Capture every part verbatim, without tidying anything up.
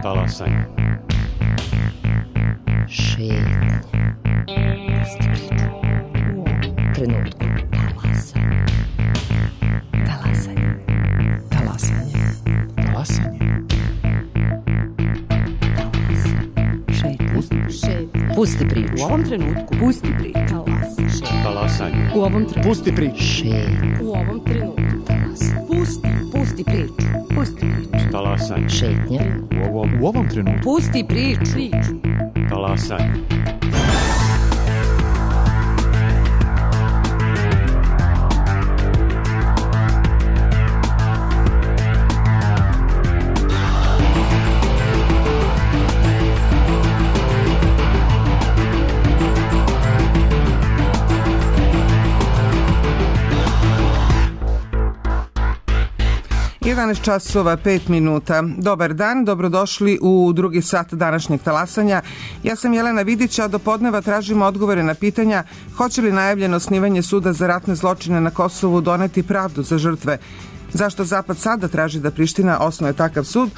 Talasanje. Šetnje. Pusti priču. U ovom trenutku. Talasanje. Talasanje. Talasanje. Talasanje. Šetnje. Pusti priču. U ovom trenutku. Pusti priču. Talasanje. Talasanje. U ovom trenutku. Pusti priču. Šetnje. U ovom trenutku. Talasanje. Pusti. Pusti priču. Pusti priču. Talasanje. Šetnje. U ovom, u ovom trenutku. Pusti priču. Priču. Talasanje. jedanaest časova pet minuta. Dobar dan, dobrodošli u drugi sat današnjeg talasanja. Ja sam Jelena Vidić, a do podneva tražimo odgovore na pitanja hoće li najavljeno osnivanje suda za ratne zločine na Kosovu doneti pravdu za žrtve, zašto Zapad sada traži da Priština osnuje takav sud,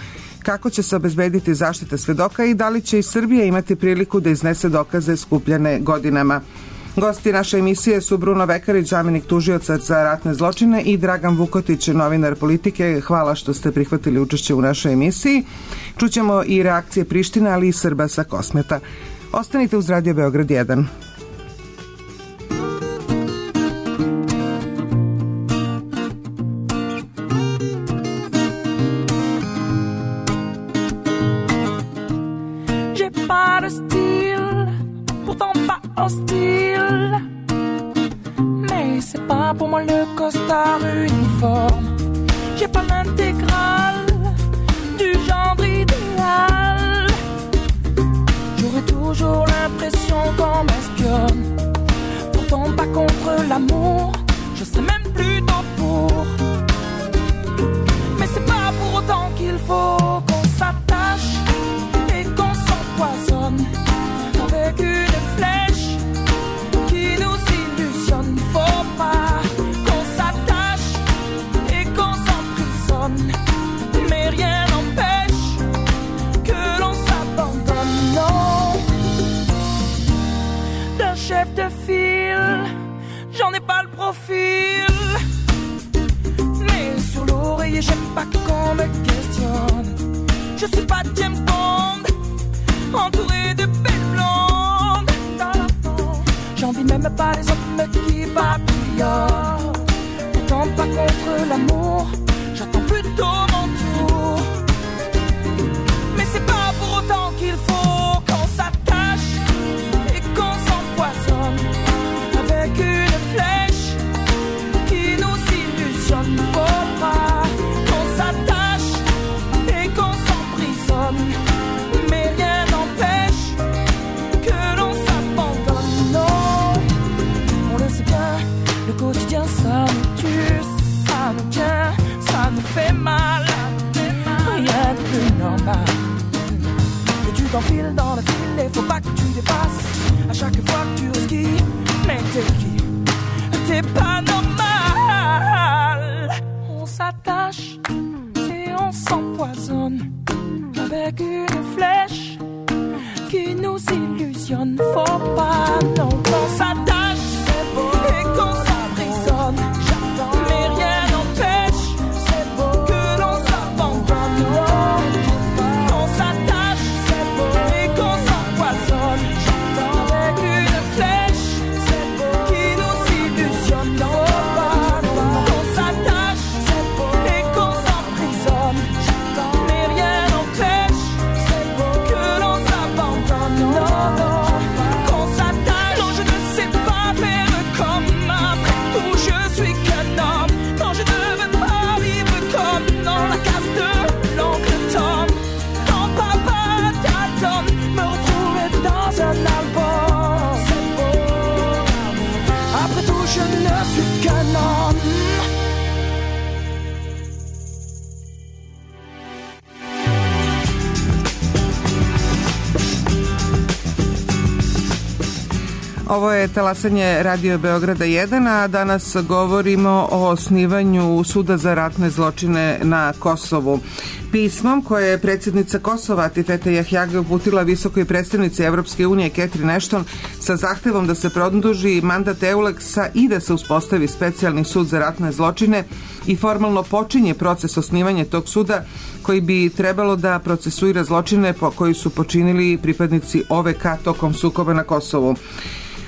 kako će se obezbediti zaštita svedoka i da li će i Srbija imati priliku da iznese dokaze skupljene godinama. Gosti naše emisije su Bruno Vekarić, zamenik tužioca za ratne zločine, i Dragan Vukotić, novinar Politike. Hvala što ste prihvatili učešće u našoj emisiji. Čućemo i reakcije Prištine, ali i Srba sa Kosmeta. Ostanite uz Radio Beograd jedan. Hostile, mais c'est pas pour moi le costard uniforme. J'ai pas l'intégrale du genre idéal. J'aurais toujours l'impression qu'on m'espionne. Pourtant pas contre l'amour, je serais même plutôt pour. Mais c'est pas pour autant qu'il faut qu'on s'attache et qu'on s'empoisonne avec une flèche qui nous illusionne. Faut pas qu'on s'attache et qu'on s'emprisonne, mais rien n'empêche que l'on s'abandonne. Non, d'un chef de file, j'en ai pas le profil, mais sur l'oreiller j'aime pas qu'on me questionne. Je suis pas James Bond, entouré de belles blondes. J'envie même pas les hommes qui papillonnent. Pourtant pas contre l'amour, j'attends plutôt mon tour. Mais c'est pas pour autant qu'il faut qu'on s'attache et qu'on s'empoisonne avec une flèche qui nous illusionne. Faut pas qu'on s'attache et qu'on s'emprisonne, mais rien n'empêche que l'on s'abandonne. Non, on le sait bien, le quotidien ça nous tue, ça nous tient, ça nous fait mal. Rien de plus normal. Et tu t'enfiles dans le fil et faut pas que tu dépasses. À chaque fois que tu risques, mais t'es qui? T'es pas normal. On s'attache et on s'empoisonne avec une flèche qui nous illusionne. Faut pas non qu'on s'attache et qu'on s'emprisonne, mais rien n'empêche que l'on s'abandonne. On s'attache et qu'on s'empoisonne avec une flèche qui nous illusionne. Faut pas qu'on s'attache et qu'on s'emprisonne, mais rien n'empêche que l'on s'abandonne. Non, non, qu'on s'attache. Non, je ne sais pas faire comme après tout, je suis qu'un homme. Non, je ne veux pas vivre comme dans la case de l'oncle Tom. Quand papa t'attend, me retrouver dans un album. Après tout, je ne suis qu'un homme. Ovo je talasanje Radio Beograda jedan, a danas govorimo o osnivanju Suda za ratne zločine na Kosovu. Pismom koje je predsjednica Kosova Atifete Jahjage uputila visokoj predstavnici Evropske unije Catherine Ashton sa zahtevom da se produži mandat Euleksa i da se uspostavi specijalni sud za ratne zločine i formalno počinje proces osnivanja tog suda koji bi trebalo da procesuira zločine po koji su počinili pripadnici O V K tokom sukoba na Kosovu.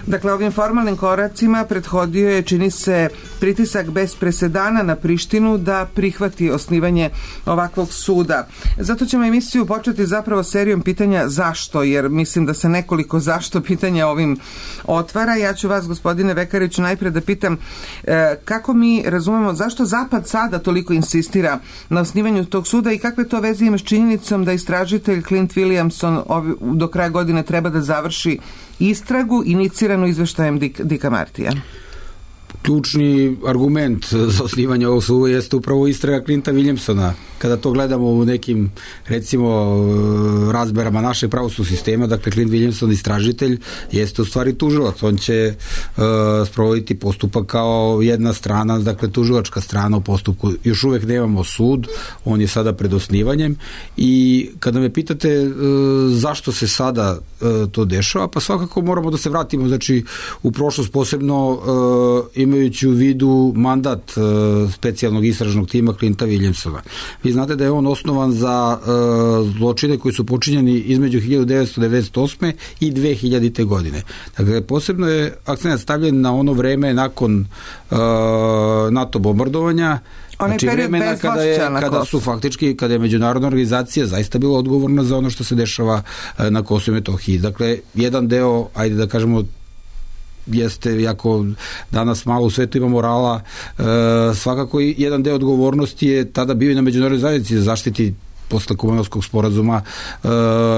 Dakle, ovim formalnim koracima prethodio je, čini se, pritisak bez presedana na Prištinu da prihvati osnivanje ovakvog suda. Zato ćemo emisiju početi zapravo serijom pitanja zašto, jer mislim da se nekoliko zašto pitanja ovim otvara. Ja ću vas, gospodine Vekariću, najpre da pitam e, kako mi razumemo zašto Zapad sada toliko insistira na osnivanju tog suda i kakve to veze ima s činjenicom da istražitelj Clint Williamson ovi, do kraja godine treba da završi istragu iniciranu izveštajem Dicka Martija. Ključni argument za osnivanje ovog suda jeste upravo istraga Clinta Williamsona. Kada to gledamo u nekim, recimo, razberama našeg pravosudnog sistema, dakle, Clint Williamson, istražitelj, jeste u stvari tužilac. On će uh, sprovoditi postupak kao jedna strana, dakle, tužilačka strana u postupku. Još uvek nemamo sud, on je sada pred osnivanjem i kada me pitate uh, zašto se sada uh, to dešava, pa svakako moramo da se vratimo, znači, u prošlost, posebno uh, imajući u vidu mandat uh, specijalnog istražnog tima Clinta Williamsona. Vi znate da je on osnovan za uh, zločine koji su počinjeni između hiljadu devetsto devedeset osme i dve hiljadite godine. Dakle, posebno je akcent stavljen na ono vreme nakon uh, NATO bombardovanja, onaj znači vremena kada, je, kada su faktički, kada je međunarodna organizacija zaista bila odgovorna za ono što se dešava uh, na Kosovu i Metohiji. Dakle, jedan deo, ajde da kažemo, jeste, jako danas malo u svetu ima morala, e, svakako i jedan deo odgovornosti je tada bio i na međunarodnoj zajednici da zaštiti posle Kumanovskog sporazuma e,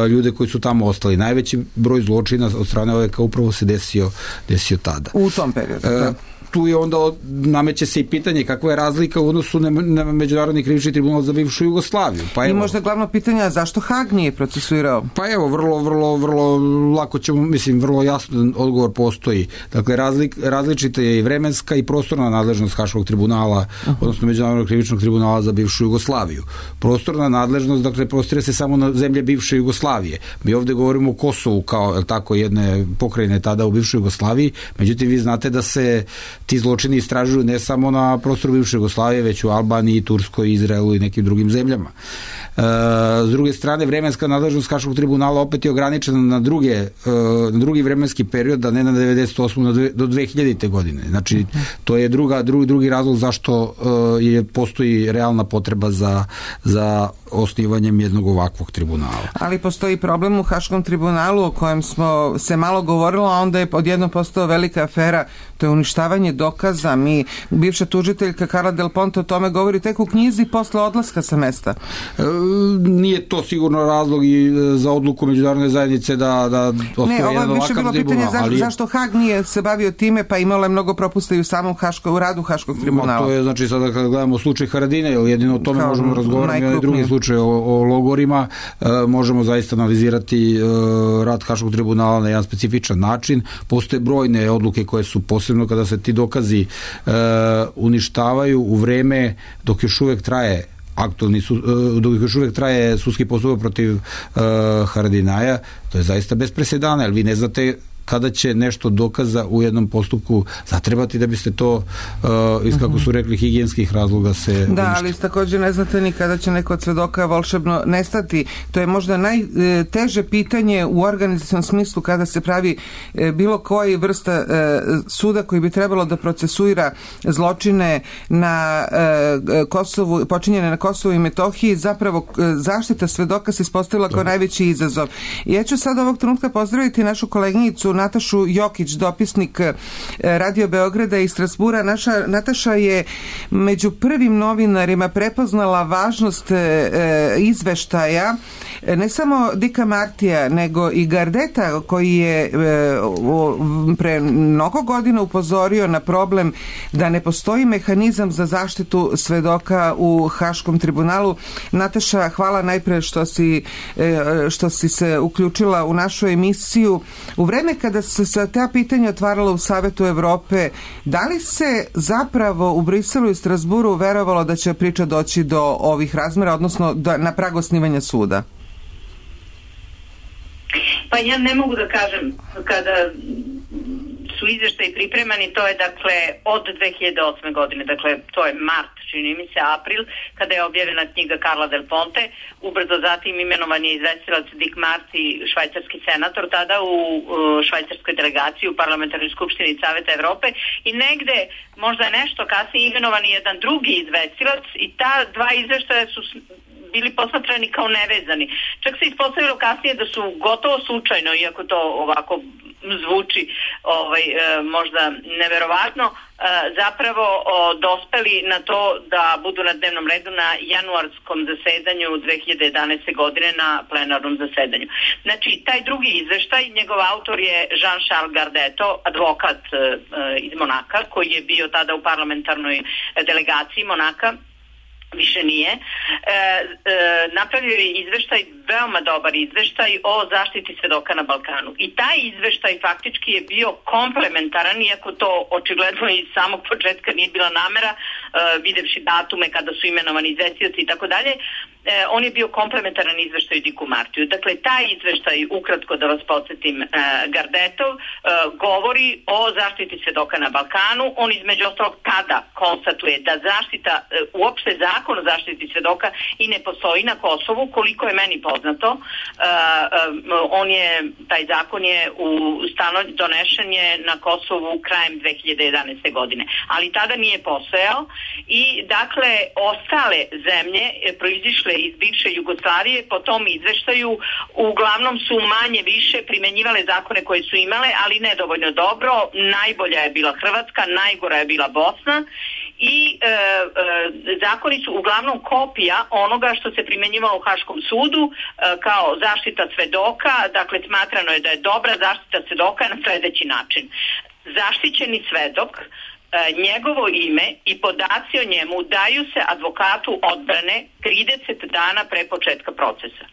ljude koji su tamo ostali. Najveći broj zločina od strane O V K upravo se desio, desio tada. U tom periodu, da. E, tu je onda nameće se i pitanje kakva je razlika u odnosu na, na Međunarodni krivični tribunal za bivšu Jugoslaviju. Pa I evo, možda glavno pitanje, zašto Hag nije procesuirao? Pa evo, vrlo, vrlo, vrlo lako ćemo, mislim, vrlo jasno odgovor postoji. Dakle, razlik, različita je i vremenska i prostorna nadležnost Haškog tribunala, uh-huh. odnosno Međunarodnog krivičnog tribunala za bivšu Jugoslaviju. Prostorna nadležnost, dakle, prostire se samo na zemlje bivše Jugoslavije. Mi ovde govorimo o Kosovu kao, je tako, jedne pokrajine tada u bivšoj Jugoslaviji, međutim, vi znate da se ti zločini istražuju ne samo na prostoru bivše Jugoslavije, već u Albaniji, Turskoj, Izraelu i nekim drugim zemljama. E, s druge strane, vremenska nadležnost Haškog tribunala opet je ograničena na, druge, e, na drugi vremenski period, da ne na devedeset osme do dve hiljadite godine. Znači, to je druga, drugi, drugi razlog zašto e, je, postoji realna potreba za, za osnivanjem jednog ovakvog tribunala. Ali postoji problem u Haškom tribunalu o kojem smo se malo govorilo, a onda je odjednom postao velika afera, to je uništavanje dokaza. Mi, bivša tužiteljka Carla Del Ponte o tome govori tek u knjizi posle odlaska sa mesta. E, nije to sigurno razlog i za odluku međunarodne zajednice da, da osnovi jedan ovakav tribunal. Ne, ovo je više bilo pitanje zašto, ali... zašto Hag nije se bavio time, pa imalo je mnogo propusta i u samom Haško, u radu Haškog tribunala. Ma, to je, znači, sada kada gledamo slučaj Haradine, jer jedino o tome kao možemo razgovarati, i drugi slučaj o, o logorima, e, možemo zaista analizirati e, rad Haškog tribunala na jedan specifičan način. Postoje brojne odluke koje su posebno kada se ti dokazi e, uništavaju u vreme dok još uvek traje aktualni su, dok još uvek traje sudski postupak protiv uh, Haradinaja, to je zaista bez presedana, jer vi ne znate kada će nešto dokaza u jednom postupku zatrebati da biste to uh, iz, kako su rekli, higijenskih razloga se da, uništi. Ali također ne znate ni kada će neko od svedoka volšebno nestati. To je možda najteže pitanje u organizacijnom smislu kada se pravi bilo koji vrsta suda koji bi trebalo da procesuira zločine na Kosovu, počinjene na Kosovu i Metohiji. Zapravo zaštita svedoka se ispostavila kao najveći izazov. Ja ću sad ovog trenutka pozdraviti našu koleginicu Natašu Jokić, dopisnik Radio Beograda i Strasbura. Naša Nataša je među prvim novinarima prepoznala važnost e, izveštaja ne samo Dicka Martija, nego i Gardeta, koji je e, o, pre mnogo godina upozorio na problem da ne postoji mehanizam za zaštitu svedoka u Haškom tribunalu. Nataša, hvala najpre što si, e, što si se uključila u našu emisiju. U vreme kada se se ta pitanja otvarala u Savetu Evrope, da li se zapravo u Briselu i Strasburu verovalo da će priča doći do ovih razmera, odnosno da, na prag osnivanja suda? Pa ja ne mogu da kažem kada su izveštaji pripremani, to je dakle od dve hiljade osme godine, dakle to je mart, čini mi se, april, kada je objavljena knjiga Carla Del Ponte, ubrzo zatim imenovan je izvestilac Dick Marty, švajcarski senator, tada u švajcarskoj delegaciji u Parlamentarnoj skupštini Saveta Evrope, i negde možda nešto kasnije imenovan je jedan drugi izvestilac i ta dva izveštaja su bili posmatrani kao nevezani. Čak se ispostavilo kasnije da su gotovo slučajno, iako to ovako zvuči ovaj, možda neverovatno, zapravo dospeli na to da budu na dnevnom redu na januarskom zasedanju dve hiljade jedanaeste godine na plenarnom zasedanju. Znači, taj drugi izveštaj, njegov autor je Jean-Charles Gardetto, advokat iz Monaka, koji je bio tada u parlamentarnoj delegaciji Monaka, više nije, e, e, napravio je izveštaj, veoma dobar izveštaj o zaštiti svedoka na Balkanu. I taj izveštaj faktički je bio komplementaran, iako to očigledno iz samog početka nije bila namera, e, videvši datume kada su imenovani izvestioci i tako dalje, on je bio komplementaran izveštaju Dicku Martiju. Dakle, taj izveštaj, ukratko da vas podsjetim, e, Gardetov, e, govori o zaštiti svedoka na Balkanu. On između ostalog tada konstatuje da zaštita, e, uopšte zakon o zaštiti svedoka i ne postoji na Kosovu, koliko je meni poznato. E, e, on je, taj zakon je u stano, donešen je na Kosovu krajem dve hiljade jedanaeste godine, ali tada nije postojao i dakle ostale zemlje proizišle iz bivše Jugoslavije po tom izveštaju uglavnom su manje više primenjivale zakone koje su imale, ali nedovoljno dobro. Najbolja je bila Hrvatska, najgora je bila Bosna i e, e, zakoni su uglavnom kopija onoga što se primenjivalo u Haškom sudu e, kao zaštita svedoka. Dakle, smatrano je da je dobra zaštita svedoka na sledeći način. Zaštićeni svedok, njegovo ime i podaci o njemu daju se advokatu odbrane trideset dana pre početka procesa.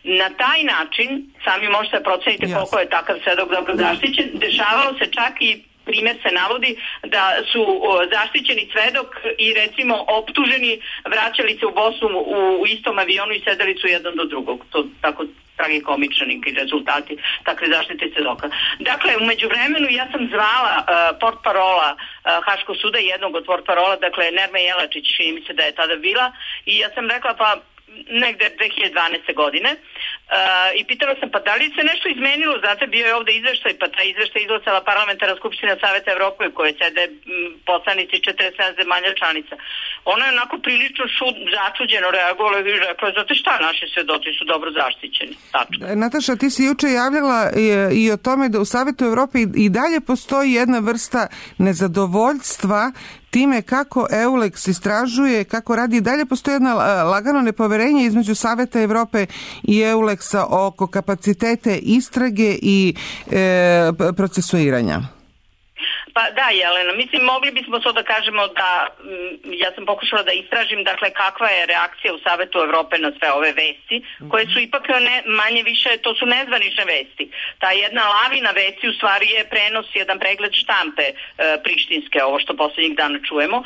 Na taj način, sami možete proceniti koliko je takav svedok dobro zaštićen, dešavalo se čak i primjer se navodi da su zaštićeni svedok i recimo optuženi vraćali se u Bosnu u istom avionu i sedeli su jedan do drugog. To tako tragikomični rezultati takve zaštite svedoka. Dakle, u međuvremenu ja sam zvala uh, portparola uh, Haškog suda, jednog od portparola, dakle Nerme Jelačić, čini mi se da je tada bila, i ja sam rekla pa negde dve hiljade dvanaeste godine uh, i pitala sam pa da li se nešto izmenilo, znate, bio je ovde izveštaj, pa taj izveštaj izglasala Parlamentarna skupština Saveta Evrope u kojoj sede m, poslanici četrdeset sedam zemalja članica. Ona je onako prilično šud, začuđeno reagovala i rekla, znate šta, naši svedoci su dobro zaštićeni. Tačno. Nataša, ti si juče javljala i, i o tome da u Savetu Evrope i, i dalje postoji jedna vrsta nezadovoljstva time kako EULEX istražuje, kako radi, i dalje postoji jedno lagano nepoverenje između Saveta Evrope i EULEX-a oko kapacitete istrage i e, procesuiranja. Pa da, Jelena, mislim, mogli bismo to da kažemo da, ja sam pokušala da istražim, dakle, kakva je reakcija u Savetu Evrope na sve ove vesti, koje su ipak ne, manje više, to su nezvanične vesti. Ta jedna lavina vesti u stvari je prenos, jedan pregled štampe e, prištinske, ovo što poslednjih dana čujemo, e,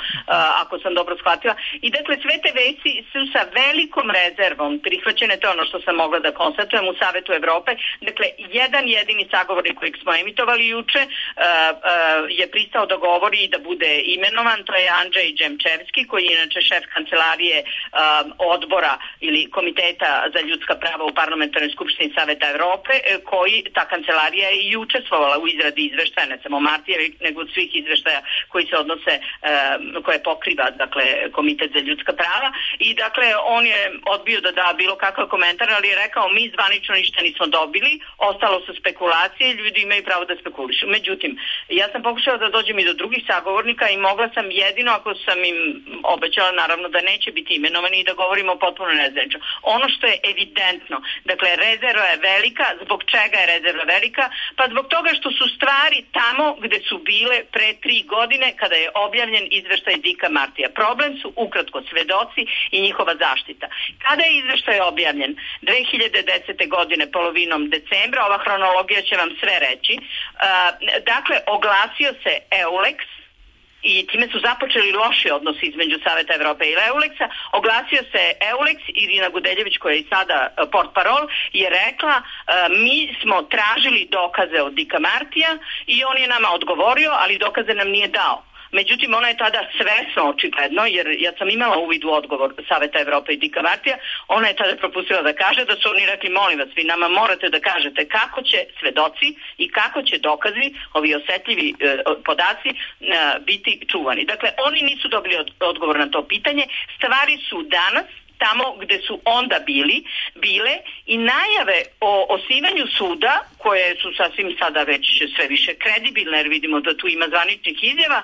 ako sam dobro shvatila. I dakle, sve te vesti su sa velikom rezervom prihvaćene, to je ono što sam mogla da konstatujem u Savetu Evrope. Dakle, jedan jedini sagovornik kojeg smo emitovali juče, e, e, je pristao da govori i da bude imenovan, to je Andrzej Džemčevski, koji je inače šef kancelarije um, odbora ili komiteta za ljudska prava u Parlamentarnoj skupštini Saveta Evrope, koji ta kancelarija je i učestvovala u izradi izveštaja, ne samo Martijeva, nego od svih izveštaja koji se odnose, um, koje pokriva, dakle, komitet za ljudska prava, i dakle, on je odbio da da bilo kakav komentar, ali je rekao, mi zvanično ništa nismo dobili, ostalo su spekulacije, ljudi imaju pravo da spekulišu. Međutim, ja sam pokušala pokušala da dođem i do drugih sagovornika i mogla sam jedino ako sam im obećala naravno da neće biti imenovani i da govorimo potpuno nezvanično. Ono što je evidentno, dakle rezerva je velika. Zbog čega je rezerva velika? Pa zbog toga što su stvari tamo gde su bile pre tri godine kada je objavljen izveštaj Dika Martija. Problem su ukratko svedoci i njihova zaštita. Kada je izveštaj objavljen? dve hiljade desete. godine, polovinom decembra, ova hronologija će vam sve reći. Dakle, oglasio se EULEX i time su započeli loši odnosi između Saveta Evrope i EULEX-a. Oglasio se EULEX, Irina Gudeljević, koja je i sada portparol, je rekla mi smo tražili dokaze od Dika Martija i on je nama odgovorio, ali dokaze nam nije dao. Međutim, ona je tada svesno, očigledno, jer ja sam imala uvid u odgovor Saveta Evrope i Dika Martija, ona je tada propustila da kaže da su oni rekli, molim vas, vi nama morate da kažete kako će svedoci i kako će dokazi, ovi osetljivi e, podaci, e, biti čuvani. Dakle, oni nisu dobili od, odgovor na to pitanje. Stvari su danas tamo gde su onda bili, bile i najave o osnivanju suda, koje su sasvim sada već sve više kredibilne, jer vidimo da tu ima zvaničnih izjava,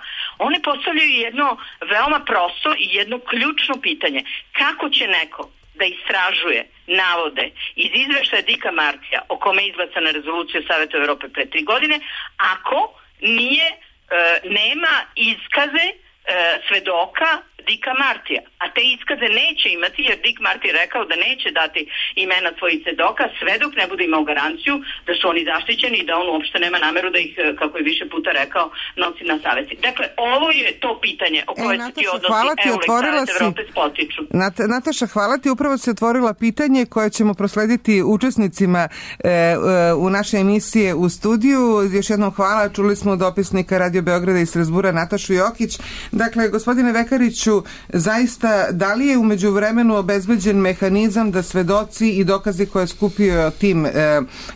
one postavljaju jedno veoma prosto i jedno ključno pitanje. Kako će neko da istražuje navode iz izveštaja Dika Martija, o kome je izglasana rezolucija Saveta Evrope pre tri godine, ako nije, e, nema iskaze e, svedoka Dika Martija, a te iskaze neće imati jer Dik Marti je rekao da neće dati imena svojih svedoka sve dok ne bude imao garanciju da su oni zaštićeni i da on uopšte nema nameru da ih, kako je više puta rekao, nosi na savesti. Dakle, ovo je to pitanje o koje e, se ti odnosi EULEX Savet Evrope spotiču. Nat, Nataša, hvala ti, upravo se otvorila pitanje koje ćemo proslediti učesnicima e, e, u naše emisije u studiju. Još jednom hvala, čuli smo dopisnika Radio Beograda iz Strasbura Natašu Jokić. Dakle, gospodine Vekariću, zaista, da li je umeđu vremenu obezbeđen mehanizam da svedoci i dokazi koje je skupio tim e,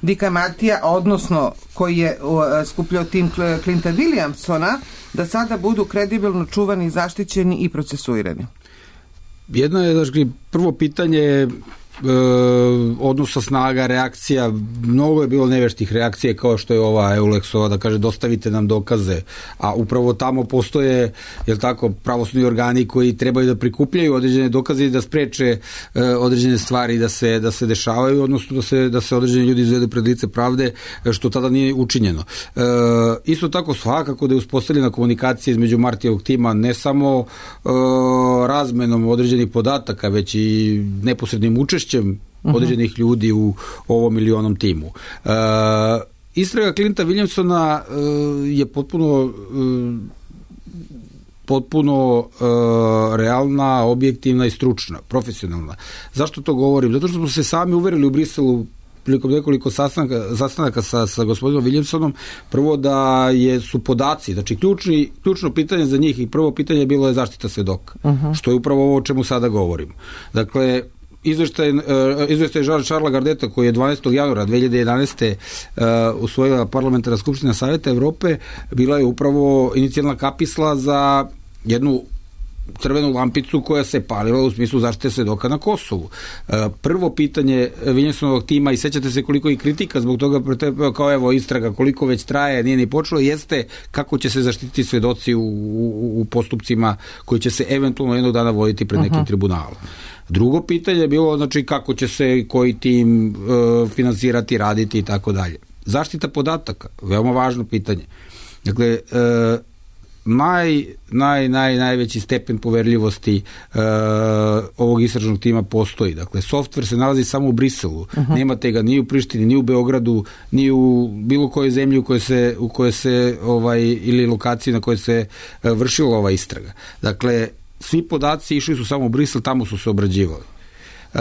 Dika Martija, odnosno koji je e, skupljao tim Clinta Williamsona, da sada budu kredibilno čuvani, zaštićeni i procesuirani? Jedno je, znači, prvo pitanje E, odnosa snaga, reakcija, mnogo je bilo neveštih reakcije kao što je ova EULEX-ova da kaže dostavite nam dokaze, a upravo tamo postoje, jel tako, pravosudni organi koji trebaju da prikupljaju određene dokaze i da spreče e, određene stvari da se, da se dešavaju, odnosno da se, da se određeni ljudi izvedu pred lice pravde, što tada nije učinjeno. E, isto tako svakako da je uspostavljena komunikacija između Martijevog tima ne samo e, razmenom određenih podataka, već i neposrednim učešćem određenih ljudi u ovom ili onom timu. E, istraga Clinta Williamsona e, je potpuno e, potpuno e, realna, objektivna i stručna, profesionalna. Zašto to govorim? Zato što smo se sami uverili u Briselu prilikom nekoliko sastanaka, sastanaka sa, sa gospodinom Williamsonom, prvo da je, su podaci, znači ključni, ključno pitanje za njih i prvo pitanje bilo je zaštita svedoka, uh-huh. što je upravo ovo o čemu sada govorimo. Dakle, izveštaj, izveštaj Šarla Gardeta koji je dvanaestog januara dve hiljade jedanaeste. Uh, usvojila Parlamentarna skupština Saveta Evrope, bila je upravo inicijalna kapisla za jednu crvenu lampicu koja se palila u smislu zaštite svedoka na Kosovu. Uh, prvo pitanje Williamsonovog tima, i sećate se koliko i kritika zbog toga, kao evo istraga koliko već traje, nije ni počelo, jeste kako će se zaštititi svedoci u, u, u postupcima koji će se eventualno jednog dana voditi pred nekim uh-huh. tribunalom. Drugo pitanje je bilo, znači, kako će se koji tim e, finansirati, raditi i tako dalje. Zaštita podataka, veoma važno pitanje. Dakle, e, naj, naj, naj, najveći stepen poverljivosti e, ovog istražnog tima postoji. Dakle, softver se nalazi samo u Briselu. Uh-huh. Nemate ga ni u Prištini, ni u Beogradu, ni u bilo kojoj zemlji u kojoj se, u kojoj se ovaj, ili lokaciji na kojoj se e, vršila ova istraga. Dakle, svi podaci išli su samo u Brisel, tamo su se obrađivali. E,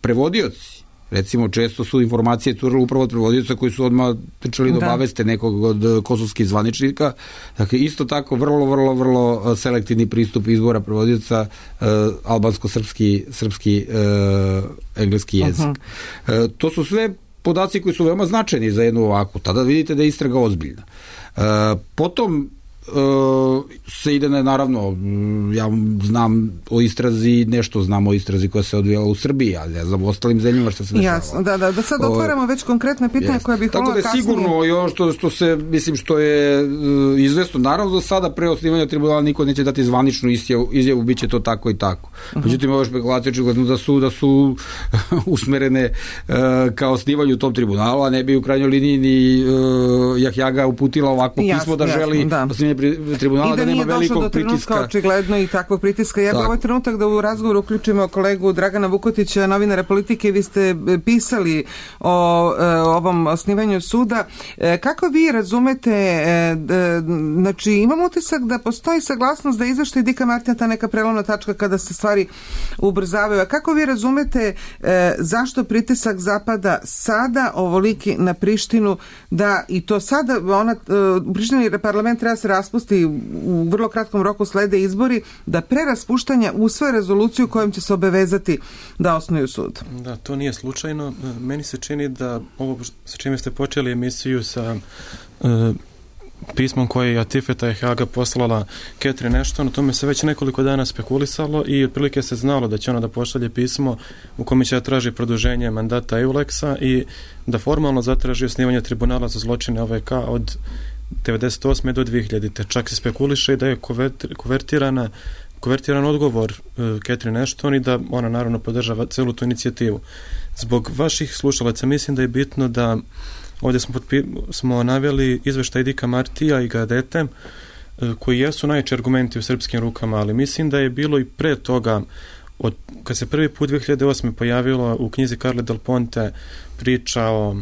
prevodioci, recimo, često su informacije curile upravo od prevodioca koji su odmah trčali da obaveste nekog od kosovskih zvaničnika. Dakle, isto tako vrlo, vrlo, vrlo selektivni pristup izbora prevodioca, e, albansko-srpski, srpski, e, engleski jezik. Uh-huh. E, to su sve podaci koji su veoma značajni za jednu ovakvu. Tada vidite da je istraga ozbiljna. E, potom se ide na, naravno, ja znam o istrazi, nešto znam o istrazi koja se odvijala u Srbiji, ali ne znam u ostalim zemljama što se dešava. Jasno, da, da, da sad otvaramo već konkretne pitanja koje bih volila kasnije. Tako da je sigurno i ono što, što se, mislim, što je uh, izvesno, naravno do sada pre osnivanja tribunala niko neće dati zvaničnu izjavu, izjavu bit će to tako i tako. Uh-huh. Međutim, ove špekulacije očigledno da su, da su usmerene uh, ka osnivanju tom tribunalu, a ne bi u krajnjoj liniji ni uh, Jahjaga uputila ovakvo jasno, pismo da jasno, želi da. osnivanje tribunala, da, da nema velikog pritiska. Očigledno i takvog pritiska. Ja bih ovaj trenutak da u razgovoru uključimo kolegu Dragana Vukotića, novinara Politike. Vi ste pisali o, o ovom osnivanju suda. Kako vi razumete, znači imam utisak da postoji saglasnost da izveštaj Dika Martina ta neka prelomna tačka kada se stvari ubrzavaju. A kako vi razumete zašto pritisak zapada sada ovoliki na Prištinu, da i to sada ona, u Prištini parlament treba se raspusti, u vrlo kratkom roku slede izbori, da pre raspuštanja usvoje rezoluciju kojom će se obavezati da osnuju sud. Da, to nije slučajno. Meni se čini da ovo sa čime ste počeli emisiju sa uh, pismom koje je Atifeta Jahjaga poslala Catherine Ashton, o tome se već nekoliko dana spekulisalo i otprilike se znalo da će ona da pošalje pismo u kome će da traži produženje mandata EULEX-a i da formalno zatraži osnivanje tribunala za zločine O V K od devedeset osme do dve hiljadite. Čak se spekuliše da je konvertirana konvertiran odgovor uh, Catherine Ashton i da ona naravno podržava celu tu inicijativu. Zbog vaših slušalaca mislim da je bitno da ovdje smo, potpi, smo naveli izveštaj Dika Martija i Gadete uh, koji jesu najjači argumenti u srpskim rukama, ali mislim da je bilo i pre toga, od, kad se prvi put dve hiljade osme pojavilo u knjizi Carle Del Ponte priča o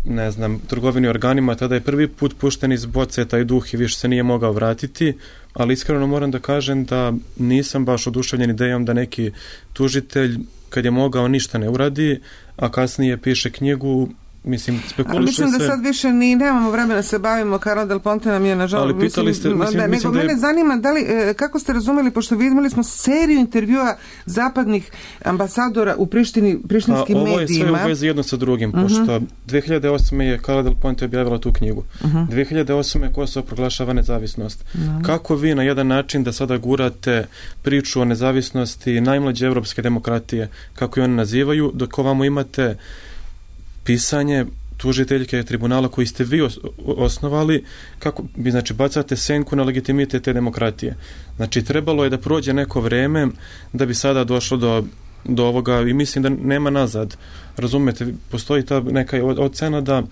ne znam, trgovini organima, tada je prvi put pušten iz boce taj duh i više se nije mogao vratiti, ali iskreno moram da kažem da nisam baš oduševljen idejom da neki tužitelj kad je mogao ništa ne uradi, a kasnije piše knjigu. Mislim, spekuliše mislim da se... sad više ni nemamo vremena se bavimo, Carlo Del Ponte nam je nažalost... Ali pitali mislim, ste... Mislim, da, mislim nego da je... mene zanima da li, kako ste razumeli, pošto vidjeli smo seriju intervjua zapadnih ambasadora u Prištini, prištinskim A, ovo medijima. Ovo je sve u vezi jedno sa drugim, uh-huh. pošto dve hiljade osme je Carlo Del Ponte objavila tu knjigu. Uh-huh. dve hiljade osme je Kosovo proglašava nezavisnost. Uh-huh. Kako vi na jedan način da sada gurate priču o nezavisnosti najmlađe evropske demokratije, kako je one nazivaju, dok ovamo imate pisanje tužiteljke tribunala koji ste vi osnovali, kako bi, znači, bacate senku na legitimitet te demokratije. Znači, trebalo je da prođe neko vreme da bi sada došlo do, do ovoga i mislim da nema nazad. Razumete, postoji ta neka ocena da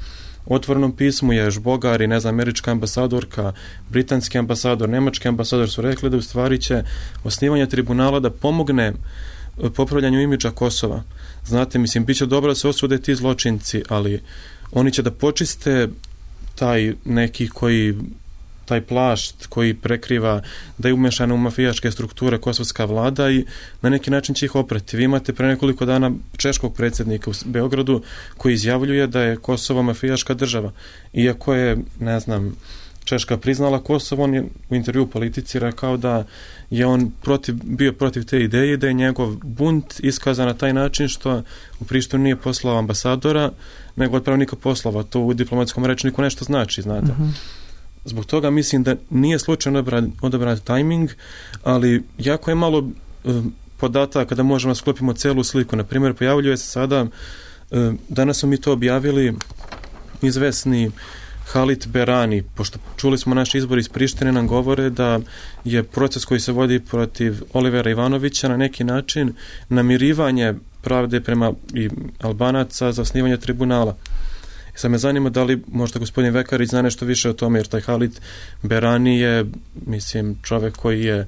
u otvorenom pismu je Žbogar i, ne znam, američka ambasadorka, britanski ambasador, nemački ambasador su rekli da u stvari će osnivanje tribunala da pomogne popravljanju imidža Kosova. Znate, mislim, bit će dobro da se osude ti zločinci, ali oni će da počiste taj neki koji, taj plašt koji prekriva da je umešana u mafijaške strukture kosovska vlada i na neki način će ih oprati. Vi imate pre nekoliko dana češkog predsjednika u Beogradu koji izjavljuje da je Kosovo mafijaška država. Iako je, ne znam, Češka priznala Kosovo, on je u intervju u Politici rekao da je on protiv, bio protiv te ideje, da je njegov bunt iskazan na taj način što u Prištinu nije poslao ambasadora, nego odpravnika poslova. To u diplomatskom rečniku nešto znači, znate. Uh-huh. Zbog toga mislim da nije slučajno odabran, odabran tajming, ali jako je malo uh, podataka da možemo sklopimo celu sliku. Na primjer, pojavljuje se sada, uh, danas smo mi to objavili, izvesni Halit Berani, pošto čuli smo naš izbor iz Prištine, nam govore da je proces koji se vodi protiv Olivera Ivanovića na neki način namirivanje pravde prema i Albanaca za osnivanje tribunala. I sad me zanima da li možda gospodin Vekarić zna nešto više o tome, jer taj Halit Berani je, mislim, čovek koji je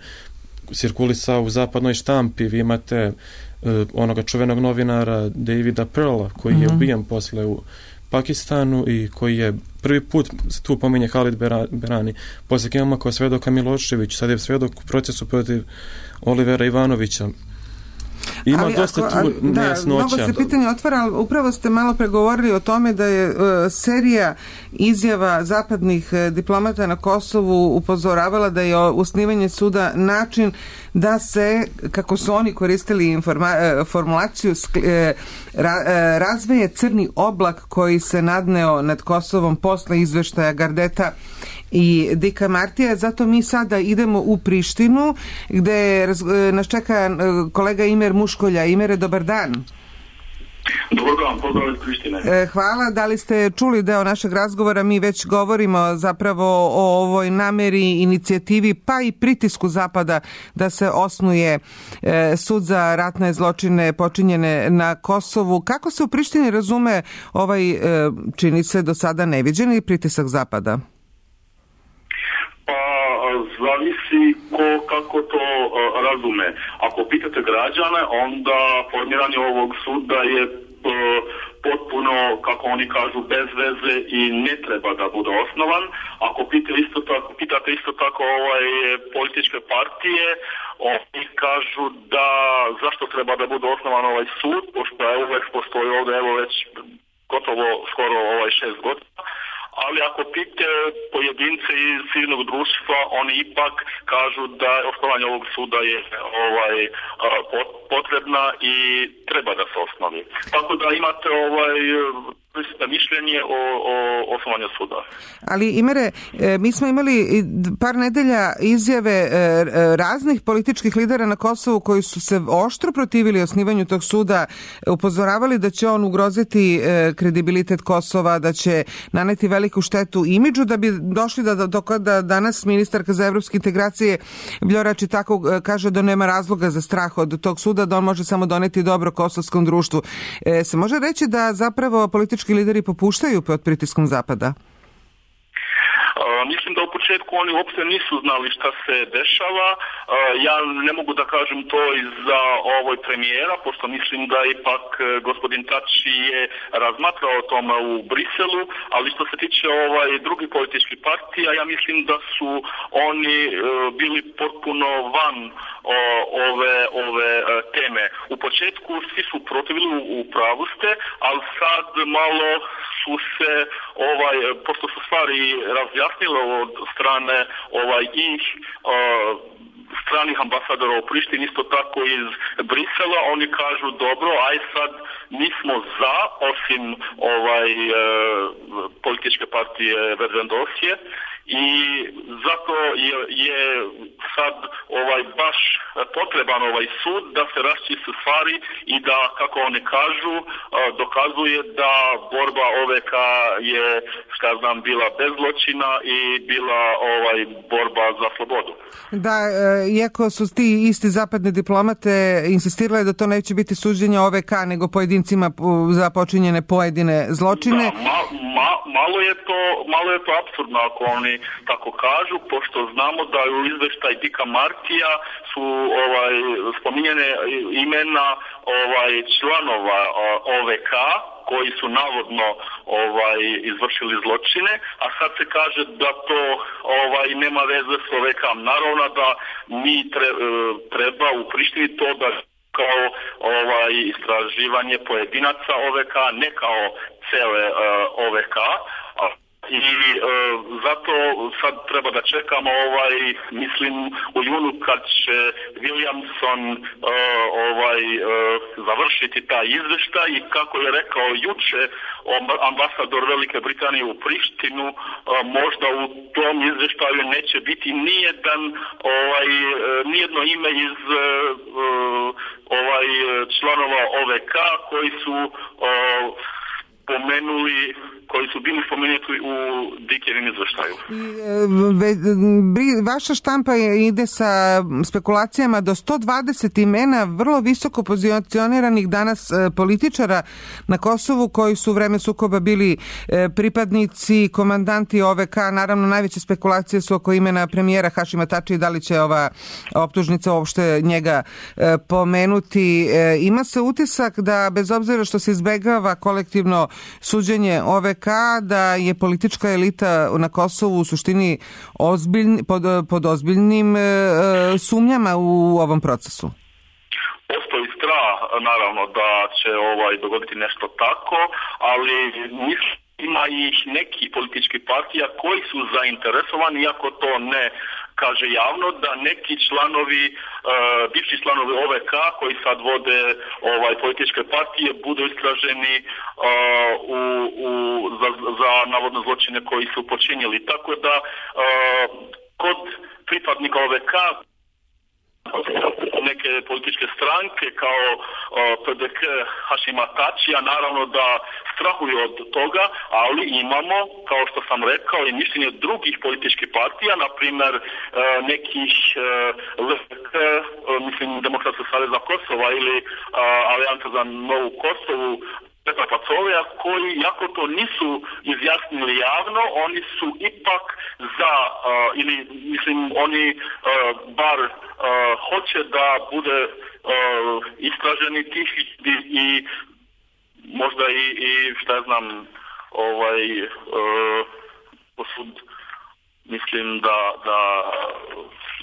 cirkulisao u zapadnoj štampi. Vi imate uh, onoga čuvenog novinara Davida Pearla koji mm-hmm. je ubijen posle u Pakistanu i koji je prvi put se tu pominje Halit Berani. Poslije imamo kao svedoka Milošević, sad je svedok u procesu protiv Olivera Ivanovića. Ima ali dosta ako, tu nejasnoća. Da, mnogo se pitanje otvara, ali upravo ste malo pregovorili o tome da je uh, serija izjava zapadnih uh, diplomata na Kosovu upozoravala da je osnivanje suda način da se, kako su oni koristili informa- formulaciju, ra- razveje crni oblak koji se nadneo nad Kosovom posle izveštaja Gardeta i Dika Martija. Zato mi sada idemo u Prištinu, gde nas čeka kolega Imer Muškolja. Imere, dobar dan. Dobar dan, pozdrav iz Prištine. Hvala. Da li ste čuli deo našeg razgovora? Mi već govorimo zapravo o ovoj nameri, inicijativi, pa i pritisku Zapada da se osnuje sud za ratne zločine počinjene na Kosovu. Kako se u Prištini razume ovaj, čini se do sada neviđeni pritisak Zapada? Zavisi ko kako to uh, razume. Ako pitate građane, onda formiranje ovog suda je uh, potpuno, kako oni kažu, bez veze i ne treba da bude osnovan. Ako pitate isto tako, pitate isto tako ovaj, političke partije, oni kažu da zašto treba da bude osnovan ovaj sud, pošto je uvek postoji ovdje, evo već gotovo skoro ovaj šest godina. Ali ako pite pojedince iz civilnog društva, oni ipak kažu da osnovanje ovog suda je ovaj potrebna i treba da se osnovi. Tako da imate ovaj mišljenje o, o osnovanju suda. Ali Imere, mi smo imali par nedelja izjave raznih političkih lidera na Kosovu koji su se oštro protivili osnivanju tog suda, upozoravali da će on ugroziti kredibilitet Kosova, da će naneti veliku štetu imidžu, da bi došli da, do kada danas ministarka za evropske integracije Vljorač i tako kaže da nema razloga za strah od tog suda, da on može samo doneti dobro kosovskom društvu. E, se može reći da zapravo politički lideri popuštaju pod pritiskom Zapada? Uh, mislim da u početku oni uopšte nisu znali šta se dešava. Uh, ja ne mogu da kažem to i za ovoj premijera, pošto mislim da ipak uh, gospodin Tači je razmatrao o tome u Briselu, ali što se tiče ovaj drugih političkih partija, ja mislim da su oni uh, bili potpuno van o, ove, ove uh, teme. U početku svi su protivili, u, u pravu ste, ali sad malo su se, ovaj, pošto su stvari razjasnile od strane ovaj, ih uh, stranih ambasadora u Prištini, isto tako iz Brisela, oni kažu dobro, aj sad mi smo za, osim ovaj, uh, političke partije Verdendosije, i zato je, je sad ovaj baš potreban ovaj sud da se raščisti stvari i da, kako oni kažu, dokazuje da borba O V K je, šta znam, bila bez zločina i bila ovaj borba za slobodu. Da, iako su ti isti zapadne diplomate insistirali da to neće biti suđenje O V K, nego pojedincima za počinjene pojedine zločine. Da, ma, ma, malo je to, malo je to apsurdno ako oni tako kažu, pošto znamo da u izveštaj Dika Martija su ovaj spominjene imena ovaj članova O V K koji su navodno ovaj izvršili zločine, a sad se kaže da to ovaj nema veze s O V K. Naravno da mi treba u Prištini to da kao ovaj istraživanje pojedinaca O V K, ne kao cele uh, O V K. I e, zato sad treba da čekamo ovaj, mislim u junu kad će Williamson e, ovaj e, završiti taj izveštaj i kako je rekao juče ambasador Velike Britanije u Prištinu, e, možda u tom izveštaju neće biti nijedan ovaj e, nijedno ime iz e, ovaj članova O V K koji su e, spomenuli, koji su bili spomenuti u Dikjevim izveštaju. Vaša štampa ide sa spekulacijama do sto dvadeset imena vrlo visoko pozicioniranih danas političara na Kosovu koji su u vreme sukoba bili pripadnici, komandanti O V K. Naravno, najveće spekulacije su oko imena premijera Hašima Tačija i da li će ova optužnica uopšte njega pomenuti. Ima se utisak da, bez obzira što se izbegava kolektivno suđenje O V K, da je politička elita na Kosovu u suštini ozbiljni, pod, pod ozbiljnim e, sumnjama u ovom procesu. Postoji strah naravno da će ovaj dogoditi nešto tako, ali mislim ima i neki politički partija koji su zainteresovani, iako to ne kaže javno, da neki članovi, uh, bivši članovi O V K koji sad vode ovaj političke partije budu istraženi uh, u, u, za, za navodno zločine koji su počinili. Tako da uh, kod pripadnika O V K neke političke stranke kao uh, P D K Hašima Tačija naravno da strahuju od toga, ali imamo, kao što sam rekao, i mišljenje drugih političkih partija, na primjer uh, nekih uh, L F K, uh, mislim Demokratskog saveza Kosova ili uh, Alijansa za novu Kosovu, Petra Pacovija, koji, jako to nisu izjasnili javno, oni su ipak za, uh, ili mislim oni uh, bar uh, hoće da bude uh, istraženi tih i, i možda i, i šta ja znam, ovaj uh, posud, mislim da da